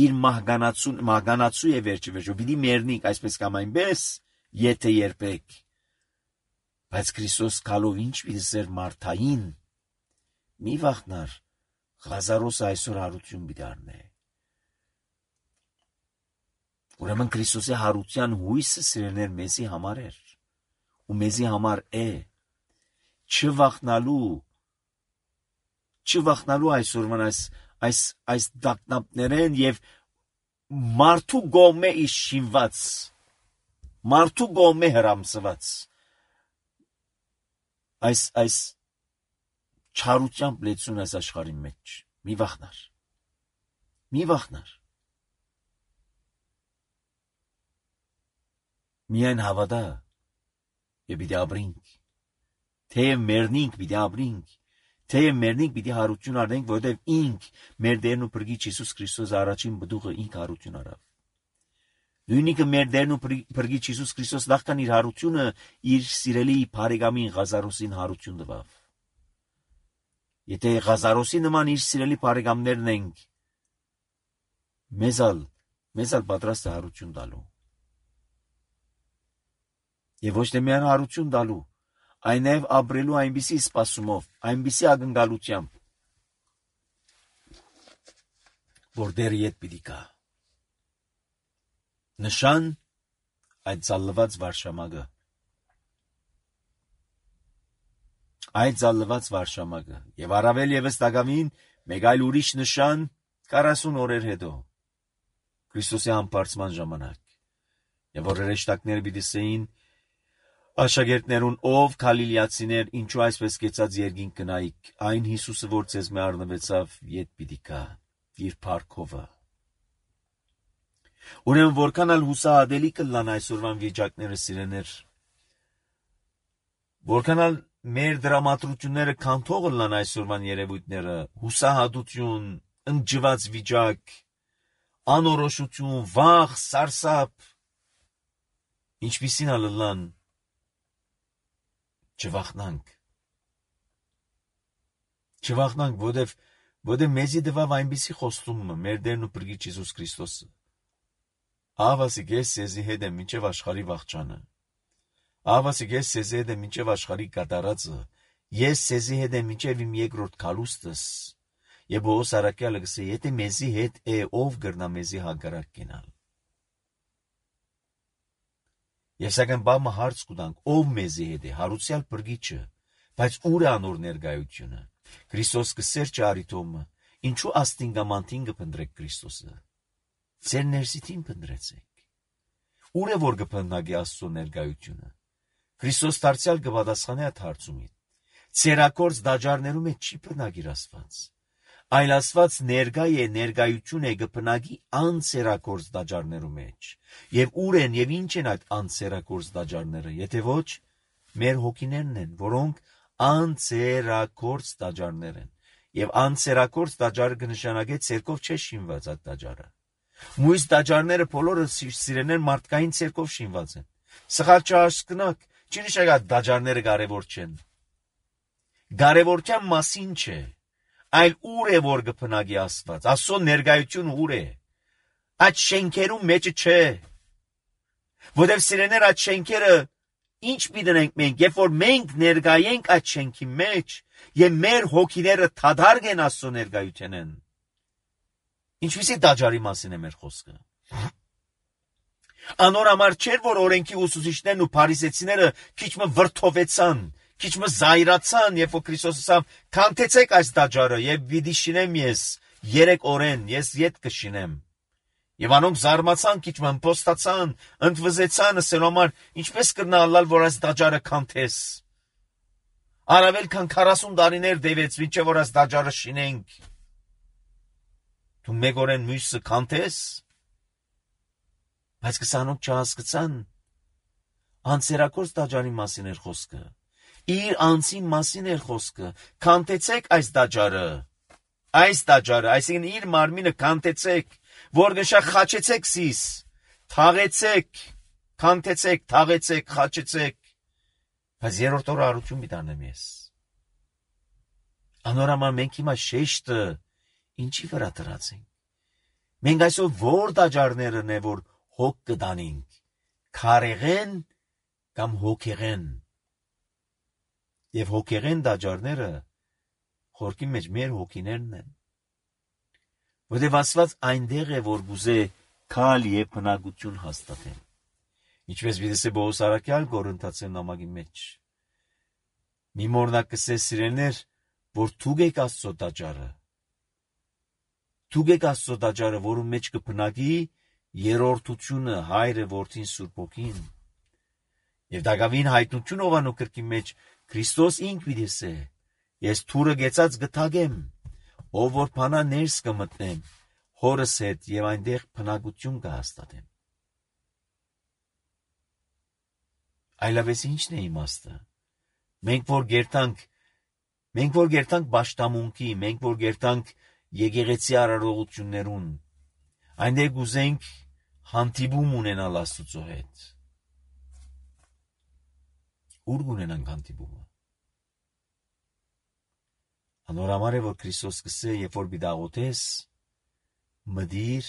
իր մահկանացու է վերջը, պիտի մեռնենք այսպես կամ այնպես, եթե երբեք, բայց Քրիստոս կալով ինչ պիտի սեր մարդային, մի վախնար, Ղազարոսը այսօր հարություն պիտի առնե։ Ուրեմն Քրիստոսի հարության հույսը սիրելիներ մեզի համար էր, ու մեզի համար է, չվախնալու այսօրվան այս դակնապներեն և մարդու գոմե իշինված, մարդու գոմե հրամսված, այս չարությամբ լեցուն այս աշխարհի մեջ, մի վախնար, միայն հավատա և պիտի ապրինք, թեև մեռնինք պիտի ապրինք, թեև մեռնինք պիտի հարություն առնենք, որովհետև ինք մեր Տերն ու Փրկիչ Հիսուս Քրիստոս առաջին բդուղը ինք հարություն արավ։ Նույնիկը մեր Տերն ու Փրկիչ Հիսուս Քրիստոս նախքան իր հարությունը իր սիրելի բարեկամին Ղազարոսին հարություն տվավ։ Եթե Ղազարոսի նման իր սիրելի բարեկամներն ենք, մեզ ալ պատրաստ է հարություն տալու։ Եվ ոչ թե միայն հարություն տալու, այն նաև ապրելու այնպիսի սպասումով, այնպիսի ակնկալությամբ, որ դեռ ետ պիտի գա։ Նշան այդ ծալլված վարշամակը, եւ առավել եւս տակավին մեկ այլ ուրիշ նշան 40 օրեր հետո, Քրիստոսի համբարձման ժամանակ, եւ որ հրեշտակները պիտի սեին աշակերտներուն, ով Գալիլեացիներ, ինչու այսպես կեցած երկինք կնայիք, այն Հիսուսը, որ ձեզ մե առնվեցավ, ետ պիտի գա։ իր փառքովը։ Ուրեմն որքան ալ հուսահատելի կլան այսօրվան վիճակները սիրեներ, որքան ալ մեր դրամատրությունները կանթող լան այսօրվան երևույթները, հուսահատություն, ընջված վիճակ, անորոշություն, վախ, սարսափ, ինչպիսին ալլան, չվախնանք, որտև մեզի դվավ այնպիսի խոստումը մեր Տերն ու Փրկիչ Հիսուս Քրիստոսը։ Ահավասիկ ես սեզի հետ եմ մինչև աշխարհի վախճանը։ Ահավասիկ ես սեզի հետ եմ մինչև աշխարհի կատարածը։ Ես սեզի հետ եմ մինչև իմ երկրորդ քալուստս։ Եվ Պողոս առաքյալը գսե, եթե մեզի հետ է, ով կրնա մեզի հակառակ կենալ։ Ես սակայն բամը հարց կուտանք, ով մեզի հետ է, հարուցյալ Փրկիչը, բայց ուր է անոր ներկայությունը։ Քրիստոս կսեր ճարիտոմը, ինչու աստինգամանտին կփնտրեք Քրիստոսը։ Ձեր ներսիթին փնտրեցեք։ Ուր է որ կփնտրագի Աստծո ներկայությունը։ Քրիստոս դարձյալ կպատասխանի այդ հարցումին։ Ցերակորձ դաջարներում է չի փնագիր Աստված։ Այլ Աստված ներկայ է, ներկայություն է կփնագի անցերակորձ դաջարներում մեջ։ Եվ ուր են եւ ինչ են այդ անցերակորձ դաջարները, եթե ոչ մեր հոգիներն են, որոնք անցերակորձ դաջարներ են։ Եվ անցերակորձ դաջարը կնշանակե ցերկով չէ շինված այդ դաջարը։ Մույս դաջարները բոլորը սիրեներ մարդկային ցերկով շինված են։ Սխալ չհասկնաք, չի նշանակա դաջարները կարևոր չեն։ Կարևորության մասին չէ, այլ ուր է որ կփնագի Աստված, Աստծո ներկայությունը ուր է։ Այդ շենքերում մեջը չէ։ Որտեղ սիրեներ այդ շենքերը ինչ պիտենք մենք, երբ որ մենք ներկայենք այդ շենքի մեջ եւ մեր հոգիները թադարգեն Աստծո ներկայութենեն։ Ինչպիսի դաջարի մասին է մեր խոսքը։ Անոր համար չէր, որ օրենքի ուսուցիչներն ու փարիսեցիները քիչմը վրթովեցան, քիչմը զայրացան, երբ որ Քրիստոսը ասավ. «Քանթեցեք այս դաջարը եւ պիտի շինեմ ես 3 օրեն, ես ետ կշինեմ»։ Եվ անոնք զարմացան, քիչմը ըմբոստացան, ընդվզեցան, ասելու համար ինչպես կրնալալ, որ այս դաջարը քանթես։ Առավել քան 40 տարիներ դեվեց, մինչև որ այս դաջարը շինենք։ Դու մեկ օրեն մյուսը քանթես։ Բայց կսանոք չհասկացան, անցերակորձ դաջարի մասին էր խոսքը։ Իր անձին մասին էր խոսքը։ Քանթեցեք այս դաջարը, այսինքն իր մարմինը քանթեցեք, որ գշա խաչեցեք սիս, թաղեցեք, քանթեցեք, թաղեցեք, խաչեցեք։ Բայց երրորդ օրը առություն միտանեմ ես։ Անորամար մենք հիմա շեշտը ինչի վրա դրացինք։ Մենք այսօր որ դաջարներն է, որ հոգ կդանինք, քարեղեն կամ հոգեղեն։ Եվ հոգեղեն դաջարները խորքի մեջ մեր հոգիներն են։ Որտև Աստված այնտեղ է, որ գուզե քալ եւ բնակություն հաստատել։ Ինչպես վիդեսե Պողոս առաքյալ Կորինթացին նամակի մեջ։ Մի մորնակ կսե սիրելներ, որ թուգեք Աստծո դաջարը։ Թուգեք Աստծո դաջարը, որում մեջ կբնակի երրորդությունը, Հայրը, Որդին, Սուրբ Հոգին։ Եվ դակավին հայտնություն ովանու կրկի մեջ Քրիստոս ինք վիդեսե։ Ես թուրը գեցած գթագեմ, ով որ փանա ներս կմտնեմ, հորս հետ եւ այնտեղ բնակություն կհաստատեմ։ Այլապես ի՞նչն է իմաստը։ Մենք որ գերտանք պաշտամունքի, մենք որ գերտանք եկեղեցի արարողություններուն, այնտեղ գուզենք հանդիպում ունենալ Աստծո հետ։ Ուր կունենանք հանդիպումը։ Անորամար է, որ Քրիստոս կսե, երբ որ բիդաղոթես, մդիր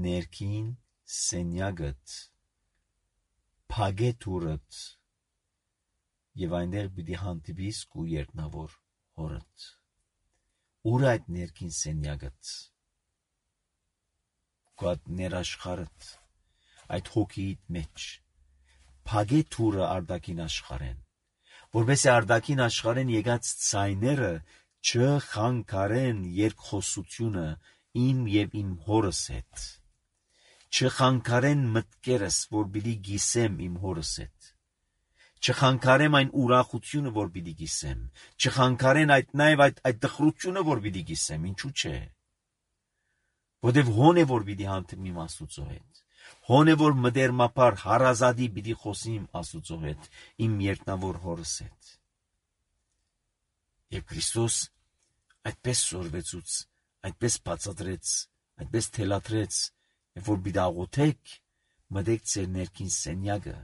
ներքին սենյակդ, փագե թուրդ, եւ այնտեղ պիտի հանդիպիս քու երկնավոր հորդ։ Ուր այդ ներքին սենյակդ, քու այդ ներաշխարհդ, այդ հոգիիդ մեջ, փագե թուրը արդակին աշխարհեն, որովհետեւ արդակին աշխարհեն եկած ցայները չխանգարեն երկխոսությունը իմ եւ իմ հորս հետ, չխանգարեն մտքերս, որ պիտի գիսեմ իմ հորս հետ, չխանգարեմ այն ուրախությունը, որ պիտի գիսեմ, չխանգարեն այդ տխրությունը, որ պիտի գիսեմ, ինչու՞ չէ։ Որտեվ հոն է որ պիտի հանդիպիմ Աստուծո հետ։ Հոն է որ մտերմապար հարազատի պիտի խոսիմ Աստուծո հետ, իմ երկնավոր Հորս հետ։ Եվ Քրիստոս այդպես սորվեցուց, այդպես բացատրեց, այդպես թելադրեց, եւ որ պիտի աղոթեք, մտեք ձեր ներքին սենյակը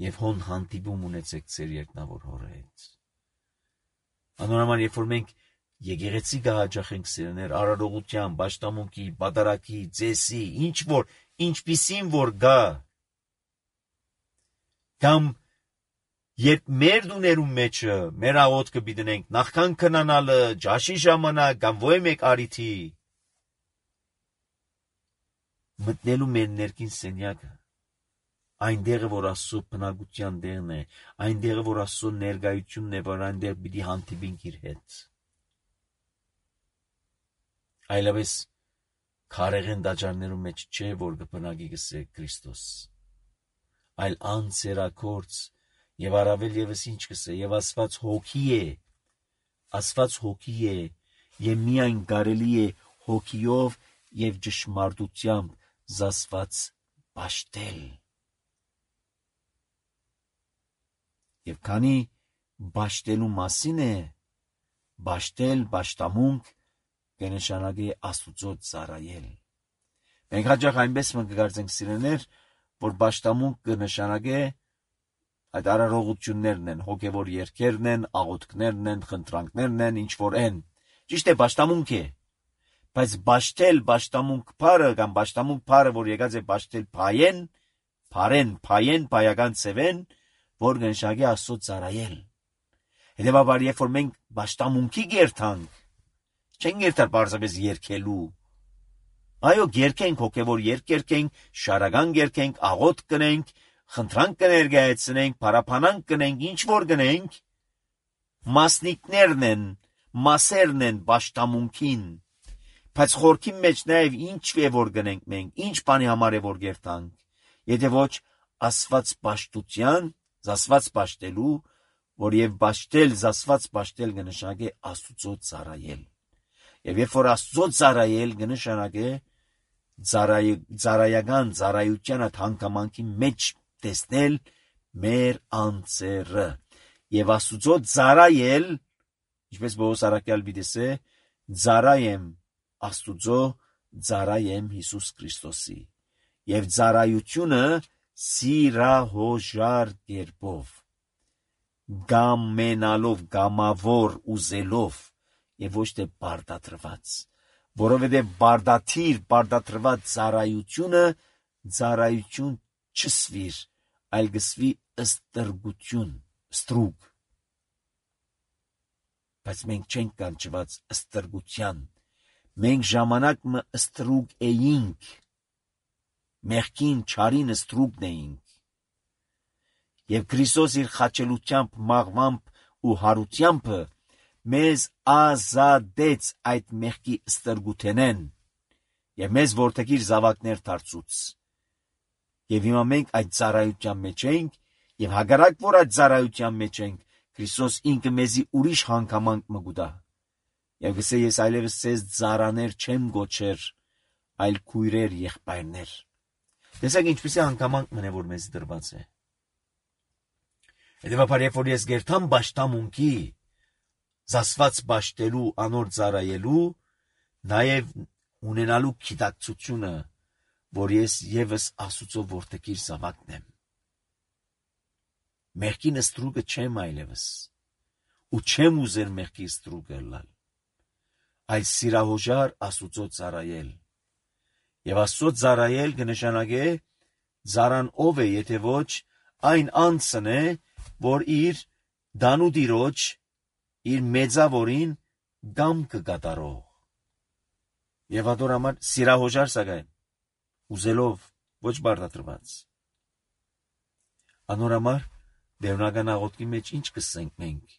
եւ հոն հանդիպում ունեցեք ձեր երկնավոր Հորի հետ։ Անորոման երբ որ մենք եկեղեցի կհաճախենք սիրելիներ, արարողության, պաշտամունքի, պատարագի, ծեսի, ինչ որ, ինչպիսին որ գա, կամ երբ մեր դուներում մեջը մեր աղոթքը պիտենք նախքան քնանալը, ջաշի ժամանակ կամ ոյ մեկ արիթի, մտնելու մեր ներքին սենյակը, այնտեղը որ Աստծո բնակության տեղն է, այնտեղը որ Աստծո ներկայությունն է, որ այնտեղ պիտի հանդիպենք իր հետ։ Այլևս քարեղեն դաջարներում մեջ չէ, որ կբնակի գսե Քրիստոս, այլ անձերակորց եւ առավել եւս ինչ կսե, եւ Աստված հոգի է, Աստված հոգի է, եւ միայն կարելի է հոգիով եւ ճշմարտությամբ զասված պաշտել։ Եվ քանի պաշտելու մասին է, պաշտել, պաշտամունք կնշանակի Աստուծո ծառայել։ Մենք հաճախ այնպես կգործենք սիրելիներ, որ պաշտամունք կնշանակի այդ արարողություններն են, հոգևոր երգերն են, աղոթքներն են, խնդրանքներն են, ինչ որ են։ Ճիշտ է, պաշտամունք է, բայց պաշտել պաշտամունք բառը կամ պաշտամունք բառը, որ եկած է պաշտել փայեն, պայական ծևեն, որ կնշանակի Աստծո ծառայել։ Հետևաբար, երբ որ մենք պաշտամունքի գերտանք, չենք գերտար պարզապես երգելու։ Այո, երգենք, հոգևոր երգ երգենք, շարական երգենք, աղոթք կնենք, խնդրանք կներկայացնենք, փառաբանանք կնենք, ինչ որ կնենք, մասնիկներն են, մասերն են պաշտամունքին, բայց խորքի մեջ նաև ինչ է որ գնենք մենք, ինչ բանի համար է որ գերտանք, եթե ոչ ասված պաշտության, զասված պաշտելու, որ եւ պաշտել, զասված պաշտել կնշանակի Աստուծո ծառայել։ Եվ երբ որ Աստծո ծառայել կնշանակի ծառայական ծառայության հանգամանքի մեջ տեսնել մեր անձերը եւ Աստուծո ծառայել, ինչպես Պողոս առաքյալ դիտեսե, ծառայեմ Աստուծո, ծառայեմ Հիսուս Քրիստոսի եւ ծառայությունը սիրահոժար կերպով, գամենալով, գամավոր ուզելով եւ ոչ թե բարդատրված, որովհետեւ բարդատրված ծառայությունը ծառայություն չսվիր, այլ գսվի ստրգություն, ստրուկ։ Բայց մենք չենք կանչված ստրգության, մենք ժամանակ մը ստրուկ էինք, մեղքին չարին ստրուկն էինք, եւ Քրիստոս իր խաչելությամբ, մաղմամբ ու հարությամբ մեզ ազատեց այդ մեղքի ստրգութենեն եւ մեզ որտեղիր զավակներ դարձուց։ Եվ հիմա մենք այդ ծառայության մեջ ենք եւ հակառակ որ այդ ծառայության մեջ ենք, Քրիստոս ինքը մեզի ուրիշ հանգամանք մը գուտա։ Եվ գսե ես այլևս ցեզ ծառաներ չեմ գոչեր, այլ քույրեր եղբայրներ։ Տեսեք ինչպեսի հանգամանք մնե որ մեզ դրված է։ Հետևաբար երբ որ ես գերտամ պաշտամունքի, զասված պաշտելու, անոր ծառայելու, նաև ունենալու գիտակցությունը, որ ես եւս Աստուծո որդեկիր զավակն եմ։ Մեղքին ստրուկը չեմ այլևս, ու չեմ ուզեր մեղքի ստրուկը լալ, այլ սիրահոժար Աստուծո ծառայել։ Եվ Աստծո ծառայել կնշանակե ծառան ով է, եթե ոչ այն անձն է, որ իր դանուդիրոջ, իր մեծավորին գամքը կատարող։ Եվ ադոր համար սիրահոժար սակայն, ուզելով, ոչ բարդատրված։ Անոր համար դերնական աղոթքի մեջ ինչ կսենք մենք,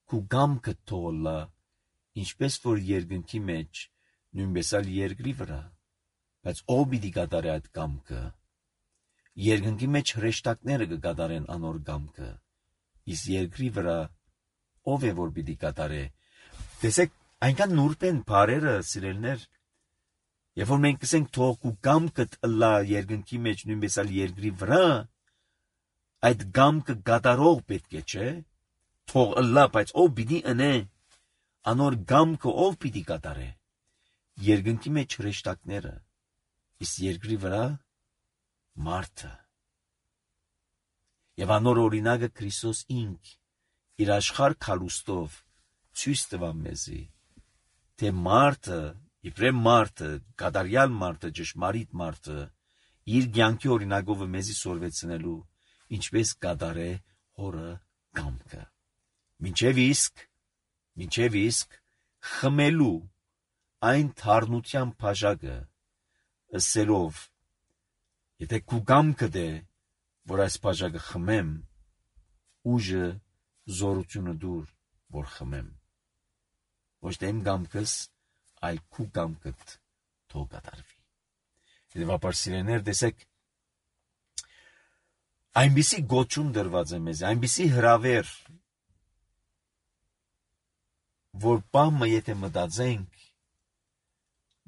քու գամքը թողլա, ինչպես որ երկնքի մեջ, նույնպես ալ երկրի վրա, բայց ով պիտի կատարե այդ գամքը։ Երկնքի մեջ հրեշտակները կկատարեն անոր գամքը, իսկ երկրի վրա ով է որ պիտի կատարե։ Տեսեք, այնքան նուրբ են բառերը, սիրելիներ, Երբ որ մենք կսենք թող քու գամքդ ըլլա երկնքի մեջ նույնպես ալ երկրի վրա, այդ գամքը գադարող պետք է, չէ՞։ Թող ըլլա, բայց ով պիտի ընե, անոր գամքը ով պիտի կատարե։ Երկնքի մեջ հրեշտակները, իսկ երկրի վրա մարդը։ Եվ անոր օրինակը Քրիստոս ինք իր աշխարհ քալուստով ցույց տվա մեզի, թե մարդը, իբրև մարդը, կատարյալ մարդը, ճշմարիտ մարդը, իր կյանքի օրինակով մեզի սորվեցնելու, ինչպես կատարե հորը կամքը։ Մինչև իսկ խմելու այն թարնության բաժակը ըսելով, եթե քու կամքը դե, որ այս բաժակը խմեմ, ուժը զորությունը դուր, որ խմեմ։ Ոչ թե իմ կամքս, այլ քու կամքդ թող կատարվի։ Հետևաբար սիրելիներ, տեսեք, այնպիսի գոչում դրված է մեզ, այնպիսի հրավեր, որ բամը եթե մտածենք,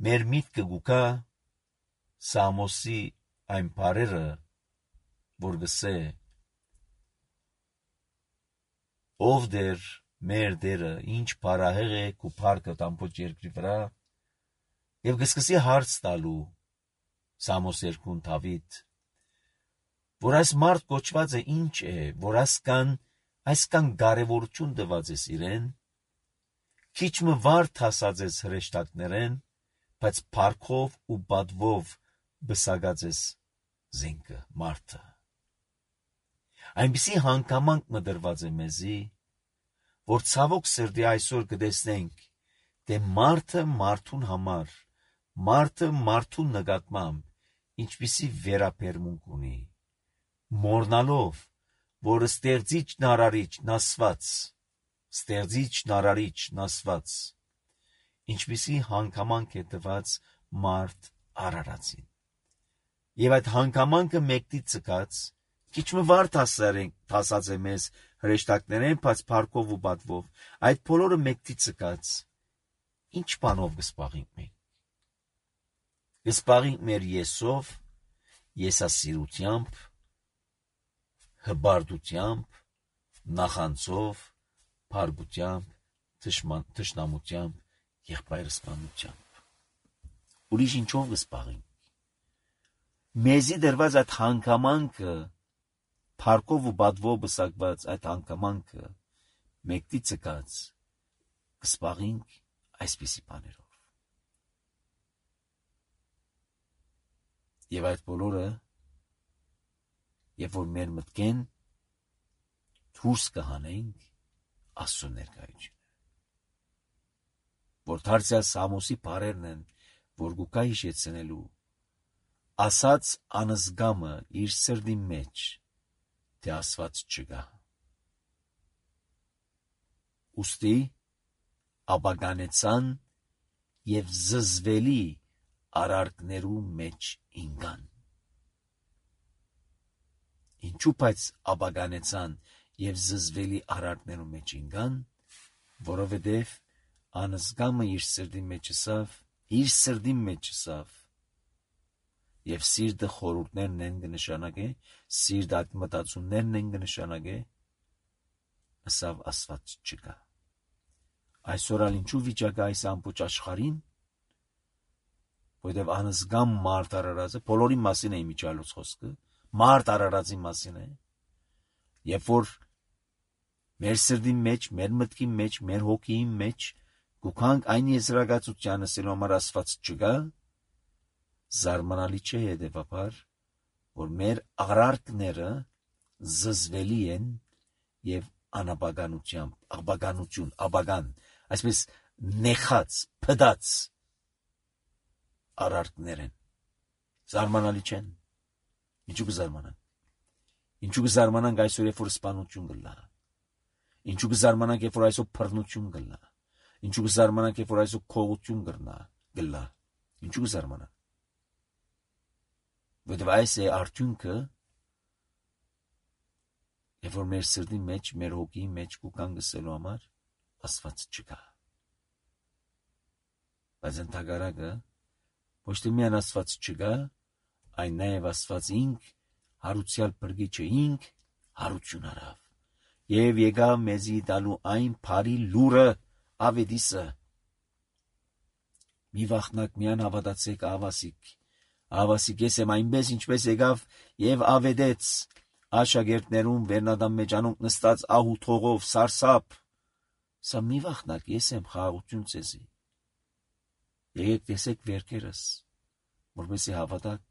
մեր միտքը գուկա Սամոսի այն բարերը, որ գսե, ով դեր մեր դերը, ինչ բարահեղ է քու փառքը ամբողջ երկրի վրա, եւ գսկսի հարց տալու Սամոս 2-ն Դավիթ, որ այս մարդ կոչված է ինչ է, որ այսքան կարևորություն տված է իրեն, քիչ մը վարդ հասած ես հրեշտակներեն, բայց փառքով ու բադվով բսակած ես զենքը, մարդը։ Այնպիսի հանգամանք մդրված է մեզի, որ ցավոք սրտի այսօր կտեսնենք, թե մարդը մարդուն համար, մարդը մարդուն նկատմամբ ինչպիսի վերաբերմունք ունի, մոռնալով, որ ստեղծիչն ասված, ինչպիսի հանգամանք է տված մարդ արարածին։ Եվ այդ հանգամանքը մեկտի ցկած, քիչ մը վարդ հասած է մեզ հրեշտակներեն, բայց փառքով ու բադվով, այդ բոլորը մեկտի ցկած, ինչ բանով կսպաղենք մենք։ Կսպաղենք մեր եսով, եսասիրությամբ, հբարդությամբ, նախանցով, փարգությամբ, թշնամությամբ, եղբայրսպանությամբ։ Ուրիշ ինչով կսպաղենք։ Մեզի դրված այդ հանգամանքը, փառքով ու բադվով բսակված այդ հանգամանքը, մեկտի ցկած, կսպաղենք այսպիսի բաներով։ Եվ այդ բոլորը, երբ որ մեր մտքեն դուրս կհանենք Աստծո ներկայությունը։ Որ դարձյալ Սամոսի բարերն են, որ գուկա հիշեցնելու, ասած անզգամը իր սրդի մեջ, թե Աստված չկա։ Ուստի ապականեցան եւ զզվելի արարքներու մեջ ինգան։ Ինչու բայց ապականեցան եւ զզվելի արարքներու մեջ ինգան, որովհետեւ անզգամը իր սրդի մեջ ասավ, եւ սիրտը խորհուրդներն են կնշանակե, սիրտ այդ մտածումներն են կնշանակե, ասավ Աստված չկա։ Այսօր ալ ինչու վիճակը այս ամբողջ աշխարհին, որովհետեւ անզգամ մարդ արարածը, բոլորի մասին է իմիջալոց խոսքը, մարդ արարածի մասին է, երբ որ մեր սրդի մեջ, մեր մտքի մեջ, մեր հոգիի մեջ գուքանք այն եզրակացությանը ասելու համար Աստված չկա, զարմանալի չէ հետևաբար, որ մեր արարքները զզվելի են եւ ապական, այսպես նեխած, փդած արարքներ են։ Զարմանալի չեն։ Ինչու կզարմանանք։ Ինչու կզարմանանք այսօր, երբ որ սպանություն կլա։ Ինչու կզարմանանք, երբ որ այսօր բռնություն կլա։ Ինչու կզարմանանք, երբ որ այսօր քողություն կլա։ Ինչու կզարմանանք։ Որտեւ այս է արդյունքը, երբ որ մեր սրտի մեջ, մեր հոգիի մեջ կուքան գսելու համար Աստված չկա։ Բայց ընդհակառակը Ոչ թե միայն Աստված չկա, այն նաև Աստված ինք, հարուցյալ բրգիչը ինք, հարություն արավ, և եկավ մեզի տալու այն բարի լուրը ավետիսը։ Մի վախնակ միան հավատացեք Ավասիկ ես եմ այնպես ինչպես եկավ և ավետեց աշակերտներուն վերնադամ մեջ անոնք նստած ահութողով սարսափ։ Սա մի վախնակ ես եմ խաղաղություն ցեզի։ Եկեք տեսեք վերքերս, որպեսզի հավատաք,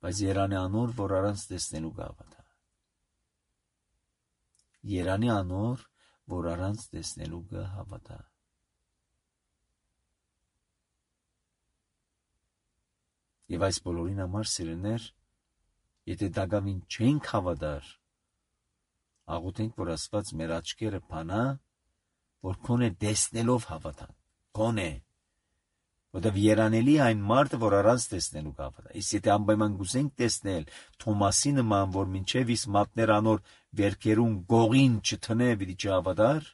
բայց Երանի անոր, որ առանց տեսնելու կհավատա։ Երանի անոր, որ առանց տեսնելու կհավատա։ Եվ այս բոլորին համար սիրելիներ, եթե դակավին չենք հավատար, աղոթենք, որ Աստված մեր աչքերը բանա, որ քոնե տեսնելով հավատան, քոնե, որտեղ երանելի այն մարդը, որ առանց տեսնելու կհավատա։ Իսկ եթե անպայման գուզենք տեսնել Թոմասի նման, որ մինչև իսկ մատներ անոր վերքերուն գողին չթնե, պիտի չհավատար,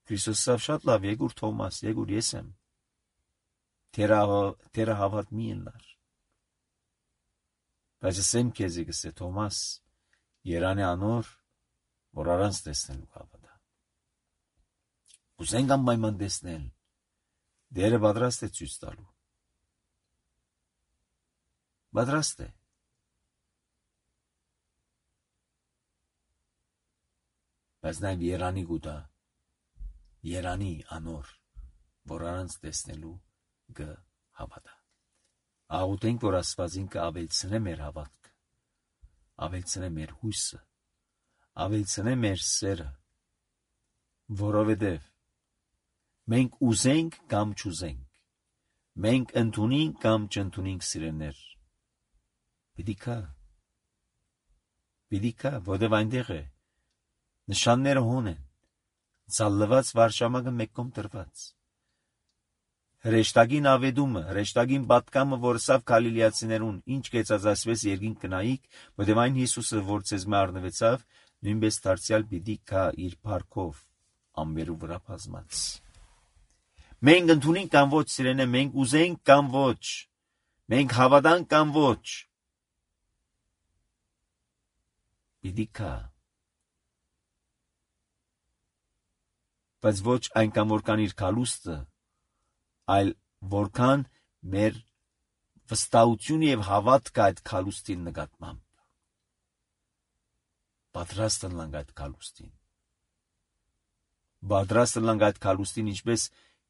Քրիստոսը շատ լավ, եկուր Թոմաս, եկուր ես եմ։ Թերը հավատ մի ելնար։ Բայց ասեմ քեզի գսե Թոմաս, Երանի անոր, որ առանց տեսնելու կհավատա։ Կուզենք անպայման տեսնել, Դերը պատրաստ է ցույց տալու։ Պատրաստ է։ Բայց նաև Երանի գուտա, Երանի անոր, որ առանց տեսնելու կհավատա։ Աղոթենք, որ Աստված ինքը ավելցնե մեր հավատքը, ավելցնե մեր հույսը, ավելցնե մեր սերը, որովհետև մենք ուզենք կամ չուզենք, մենք ընդունենք կամ չընդունենք սիրելիներ, պիտի կա, որովհետև այնտեղ է, նշանները հոն են, ցալլված վարշամակը մեկ կողմ դրված։ Հրեշտակին ավետումը, հրեշտակին պատկամը, որ սավ Գալիլեացիներուն, ինչ կեցած ասվեց երկինք կնայիք, որտև այն Հիսուսը, որ ցեզ մե առնվեցավ, նույնպես դարձյալ պիտի կա իր փառքով, ամբերու վրա բազմած։ Մենք ընդունենք կամ ոչ, սիրելիներ, մենք ուզենք կամ ոչ, մենք հավատանք կամ ոչ, պիտի կա։ Բայց ոչ այնքան որքան իր կալուստը, այլ որքան մեր վստահությունը եւ հավատքը այդ կալուստին նկատմամբ։ Պատրաստ ենք այդ կալուստին։ Պատրաստ ենք այդ կալուստին, ինչպես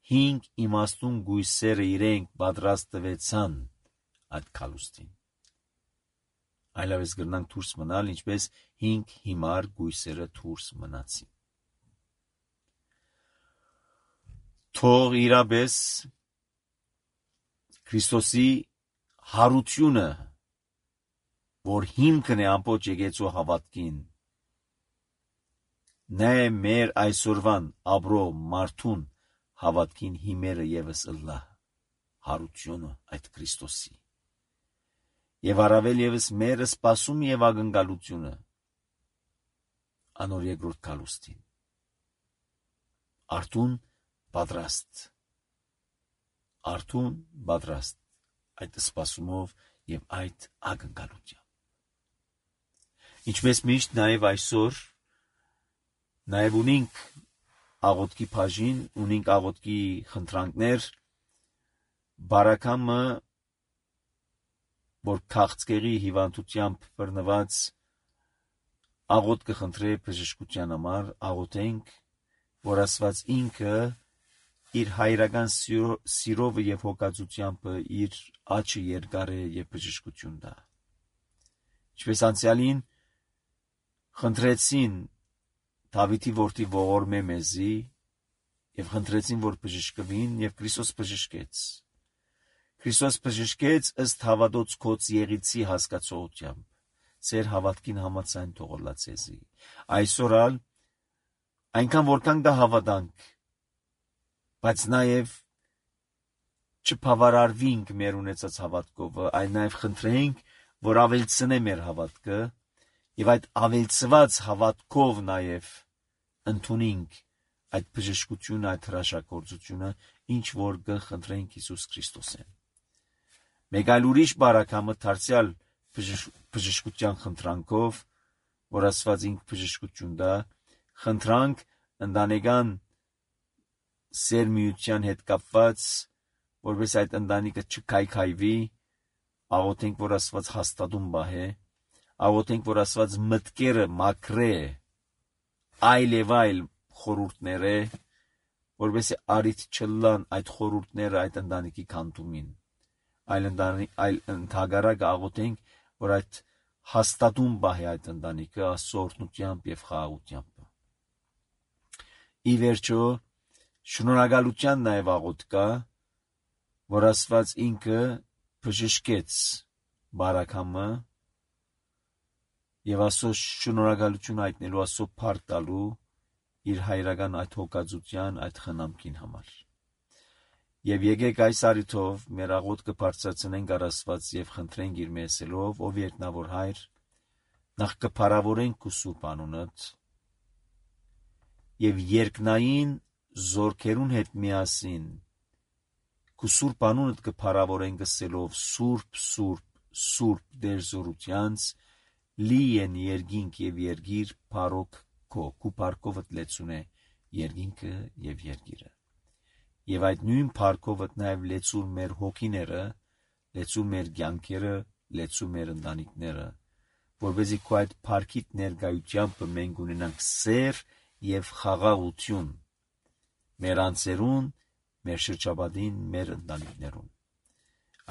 5 իմաստուն գույսերը իրենք պատրաստ տվեցան այդ կալուստին։ Այլևս գրնանք դուրս մնալ, ինչպես 5 հիմար գույսերը դուրս մնացին։ Թող իրապես Քրիստոսի հարությունը, որ հիմքն է ամբողջ եկեղեցու հավատքին, նա է մեր այսօրվան ապրող մարդուն հավատքին հիմերը ևս ըլլա հարությունը այդ Քրիստոսի։ Եվ առավել ևս մեր սպասում եւ ակնկալությունը անոր երկրորդ կալուստին։ Արթուն պատրաստ այդ սպասումով եւ այդ ակնկալությամբ։ Ինչպես միշտ նաեւ այսօր նաեւ ունենք աղոթքի բաժին, ունենք աղոթքի խնդրանքներ, բարակամը, որ քաղցկեղի հիվանդությամբ բռնված աղոթ կխնդրե բժշկության համար, աղոթենք, որ Աստված ինքը իր հայրական սիրով եւ հոգացությամբ իր աչքը երկար է եւ բժշկություն տա։ Ինչպես անցյալին խնդրեցին Դավիթի որդի ողորմե մեզի եւ խնդրեցին, որ բժշկվին, եւ Քրիստոս բժշկեց։ Քրիստոս բժշկեց ըստ հավատոց քոց եղիցի հասկացողությամբ։ Ձեր հավատքին համաձայն թողոլա ցեզի։ Այսօր այնքան որքան դա հավատանք, բայց նաև չբավարարվենք մեր ունեցած հավատքով, այլ նաև խնդրենք, որ ավելցնե մեր հավատքը եւ այդ ավելցված հավատքով նաև ընդունենք այդ բժշկությունը, այդ հրաշագործությունը, ինչ որ կխնդրենք Հիսուս Քրիստոսեն։ Մեկ այլ ուրիշ բարակամը դարձյալ բժշկության խնդրանքով, որ Աստված ինք բժշկություն դա, խնդրանք ընտանեկան սերմիության հետ կապված, որպես այդ ընտանիքը չքայքայվի, աղոթենք, որ Աստված հաստատում բահե, աղոթենք, որ Աստված մտքերը մաքրե, այլ եւ այլ խորհուրդներ է, որպես արիթ չլան այդ խորհուրդները այդ ընտանիքի քանդումին, այլ ընդհակառակը աղոթենք, որ այդ հաստատում բահե այդ ընտանիքը Աստծո օրհնությամբ եւ խաղաղությամբ։ Ի վերջո, շնորհակալության նաեւ աղոթք կա, որ Աստված ինքը բժշկեց բարակամը եւ Աստծո շնորհակալություն հայտնելու, Աստծո փառք տալու իր հայրական այդ հոգածության, այդ խնամքին համար։ Եվ եկեք այս առիթով մեր աղոթքը բարձրացնենք առ Աստված եւ խնդրենք իր մեսելով, ով երկնավոր Հայր, նախ կփառավորենք քո սուրբ անունդ եւ երկնային զորքերուն հետ միասին քո սուրբ անունդ կփառավորենք ասելով սուրբ, սուրբ, սուրբ Տեր զորությանց, լի են երկինք եւ երգիր փառոք քո փառքովդ լեցուն է երկինքը եւ երգիրը։ Եվ այդ նույն փառքովդ նաև լեցու մեր հոգիները, լեցու մեր կյանքերը, լեցու մեր ընտանիքները, որպեսզի քո այդ փառքիդ ներկայությամբ մենք ունենանք սեր եւ խաղաղություն մեր անձերուն, մեր շրջապատին, մեր ընտանիքներուն։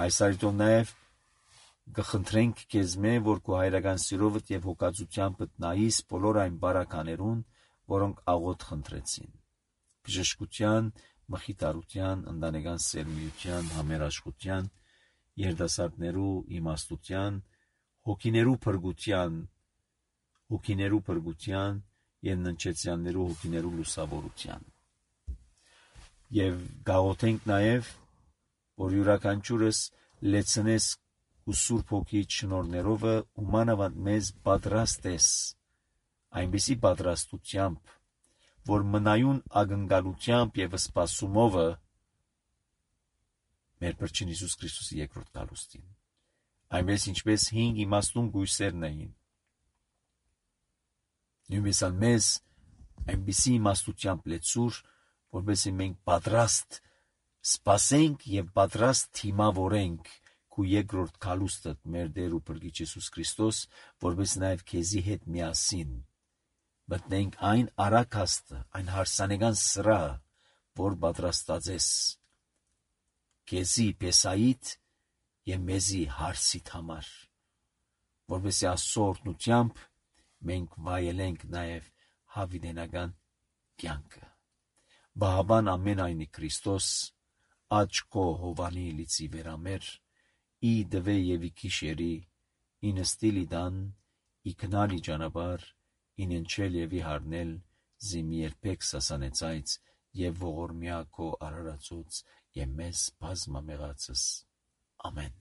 Այս առիթով նաև կխնդրենք քեզ մե, որ քո հայրական սիրովդ եւ հոգածությամբ նայես բոլոր այն բարականերուն, որոնք աղոթ խնդրեցին։ Բժշկության, մխիթարության, ընտանեկան սերմիության, համերաշխության, երիտասարդներու իմաստության, հոգիներու փրկության եւ ննչեցյաններու հոգիներու լուսավորության։ Եվ գաղոթենք նաեւ, որ յուրաքանչյուրս լեցնես ու Սուրբ Հոգի շնորհներովը ումանավանդ մեզ պատրաստես, այնպիսի պատրաստությամբ, որ մնայուն ակնկալությամբ եւ սպասումովը մեր Փրկին Հիսուս Քրիստոսի երկրորդ գալուստին, այնպես ինչպես 5 իմաստուն գույսերն էին, նույնպես մեզ այնպիսի իմաստությամբ լեցուր, որպեսզի մենք պատրաստ սպասենք եւ պատրաստ թիմավորենք քու երկրորդ գալուստդ մեր Տեր ու Փրկիչ Հիսուս Քրիստոս, որպես նաեւ քեզի հետ միասին մտնենք այն արաքաստը, այն հարսանեկան սրահը, որ պատրաստած ես քեզի Պեսայիդ եւ մեզի հարսիդ համար, որպեսզի Աստծո օրհնությամբ մենք վայելենք նաեւ հավիտենական կյանքը։ Բահաբան ամենայնի Քրիստոս աչքո հովանի լիցի վերամեր ի դվե եւ ի քիշերի ինստիլի դան ի քնալի ճանապար ինենչել եւ ի հարնել զիմի երբեք սասանեցայց եւ ողորմյա քո արարածոց եւ մեզ բազմամեղացս ամեն։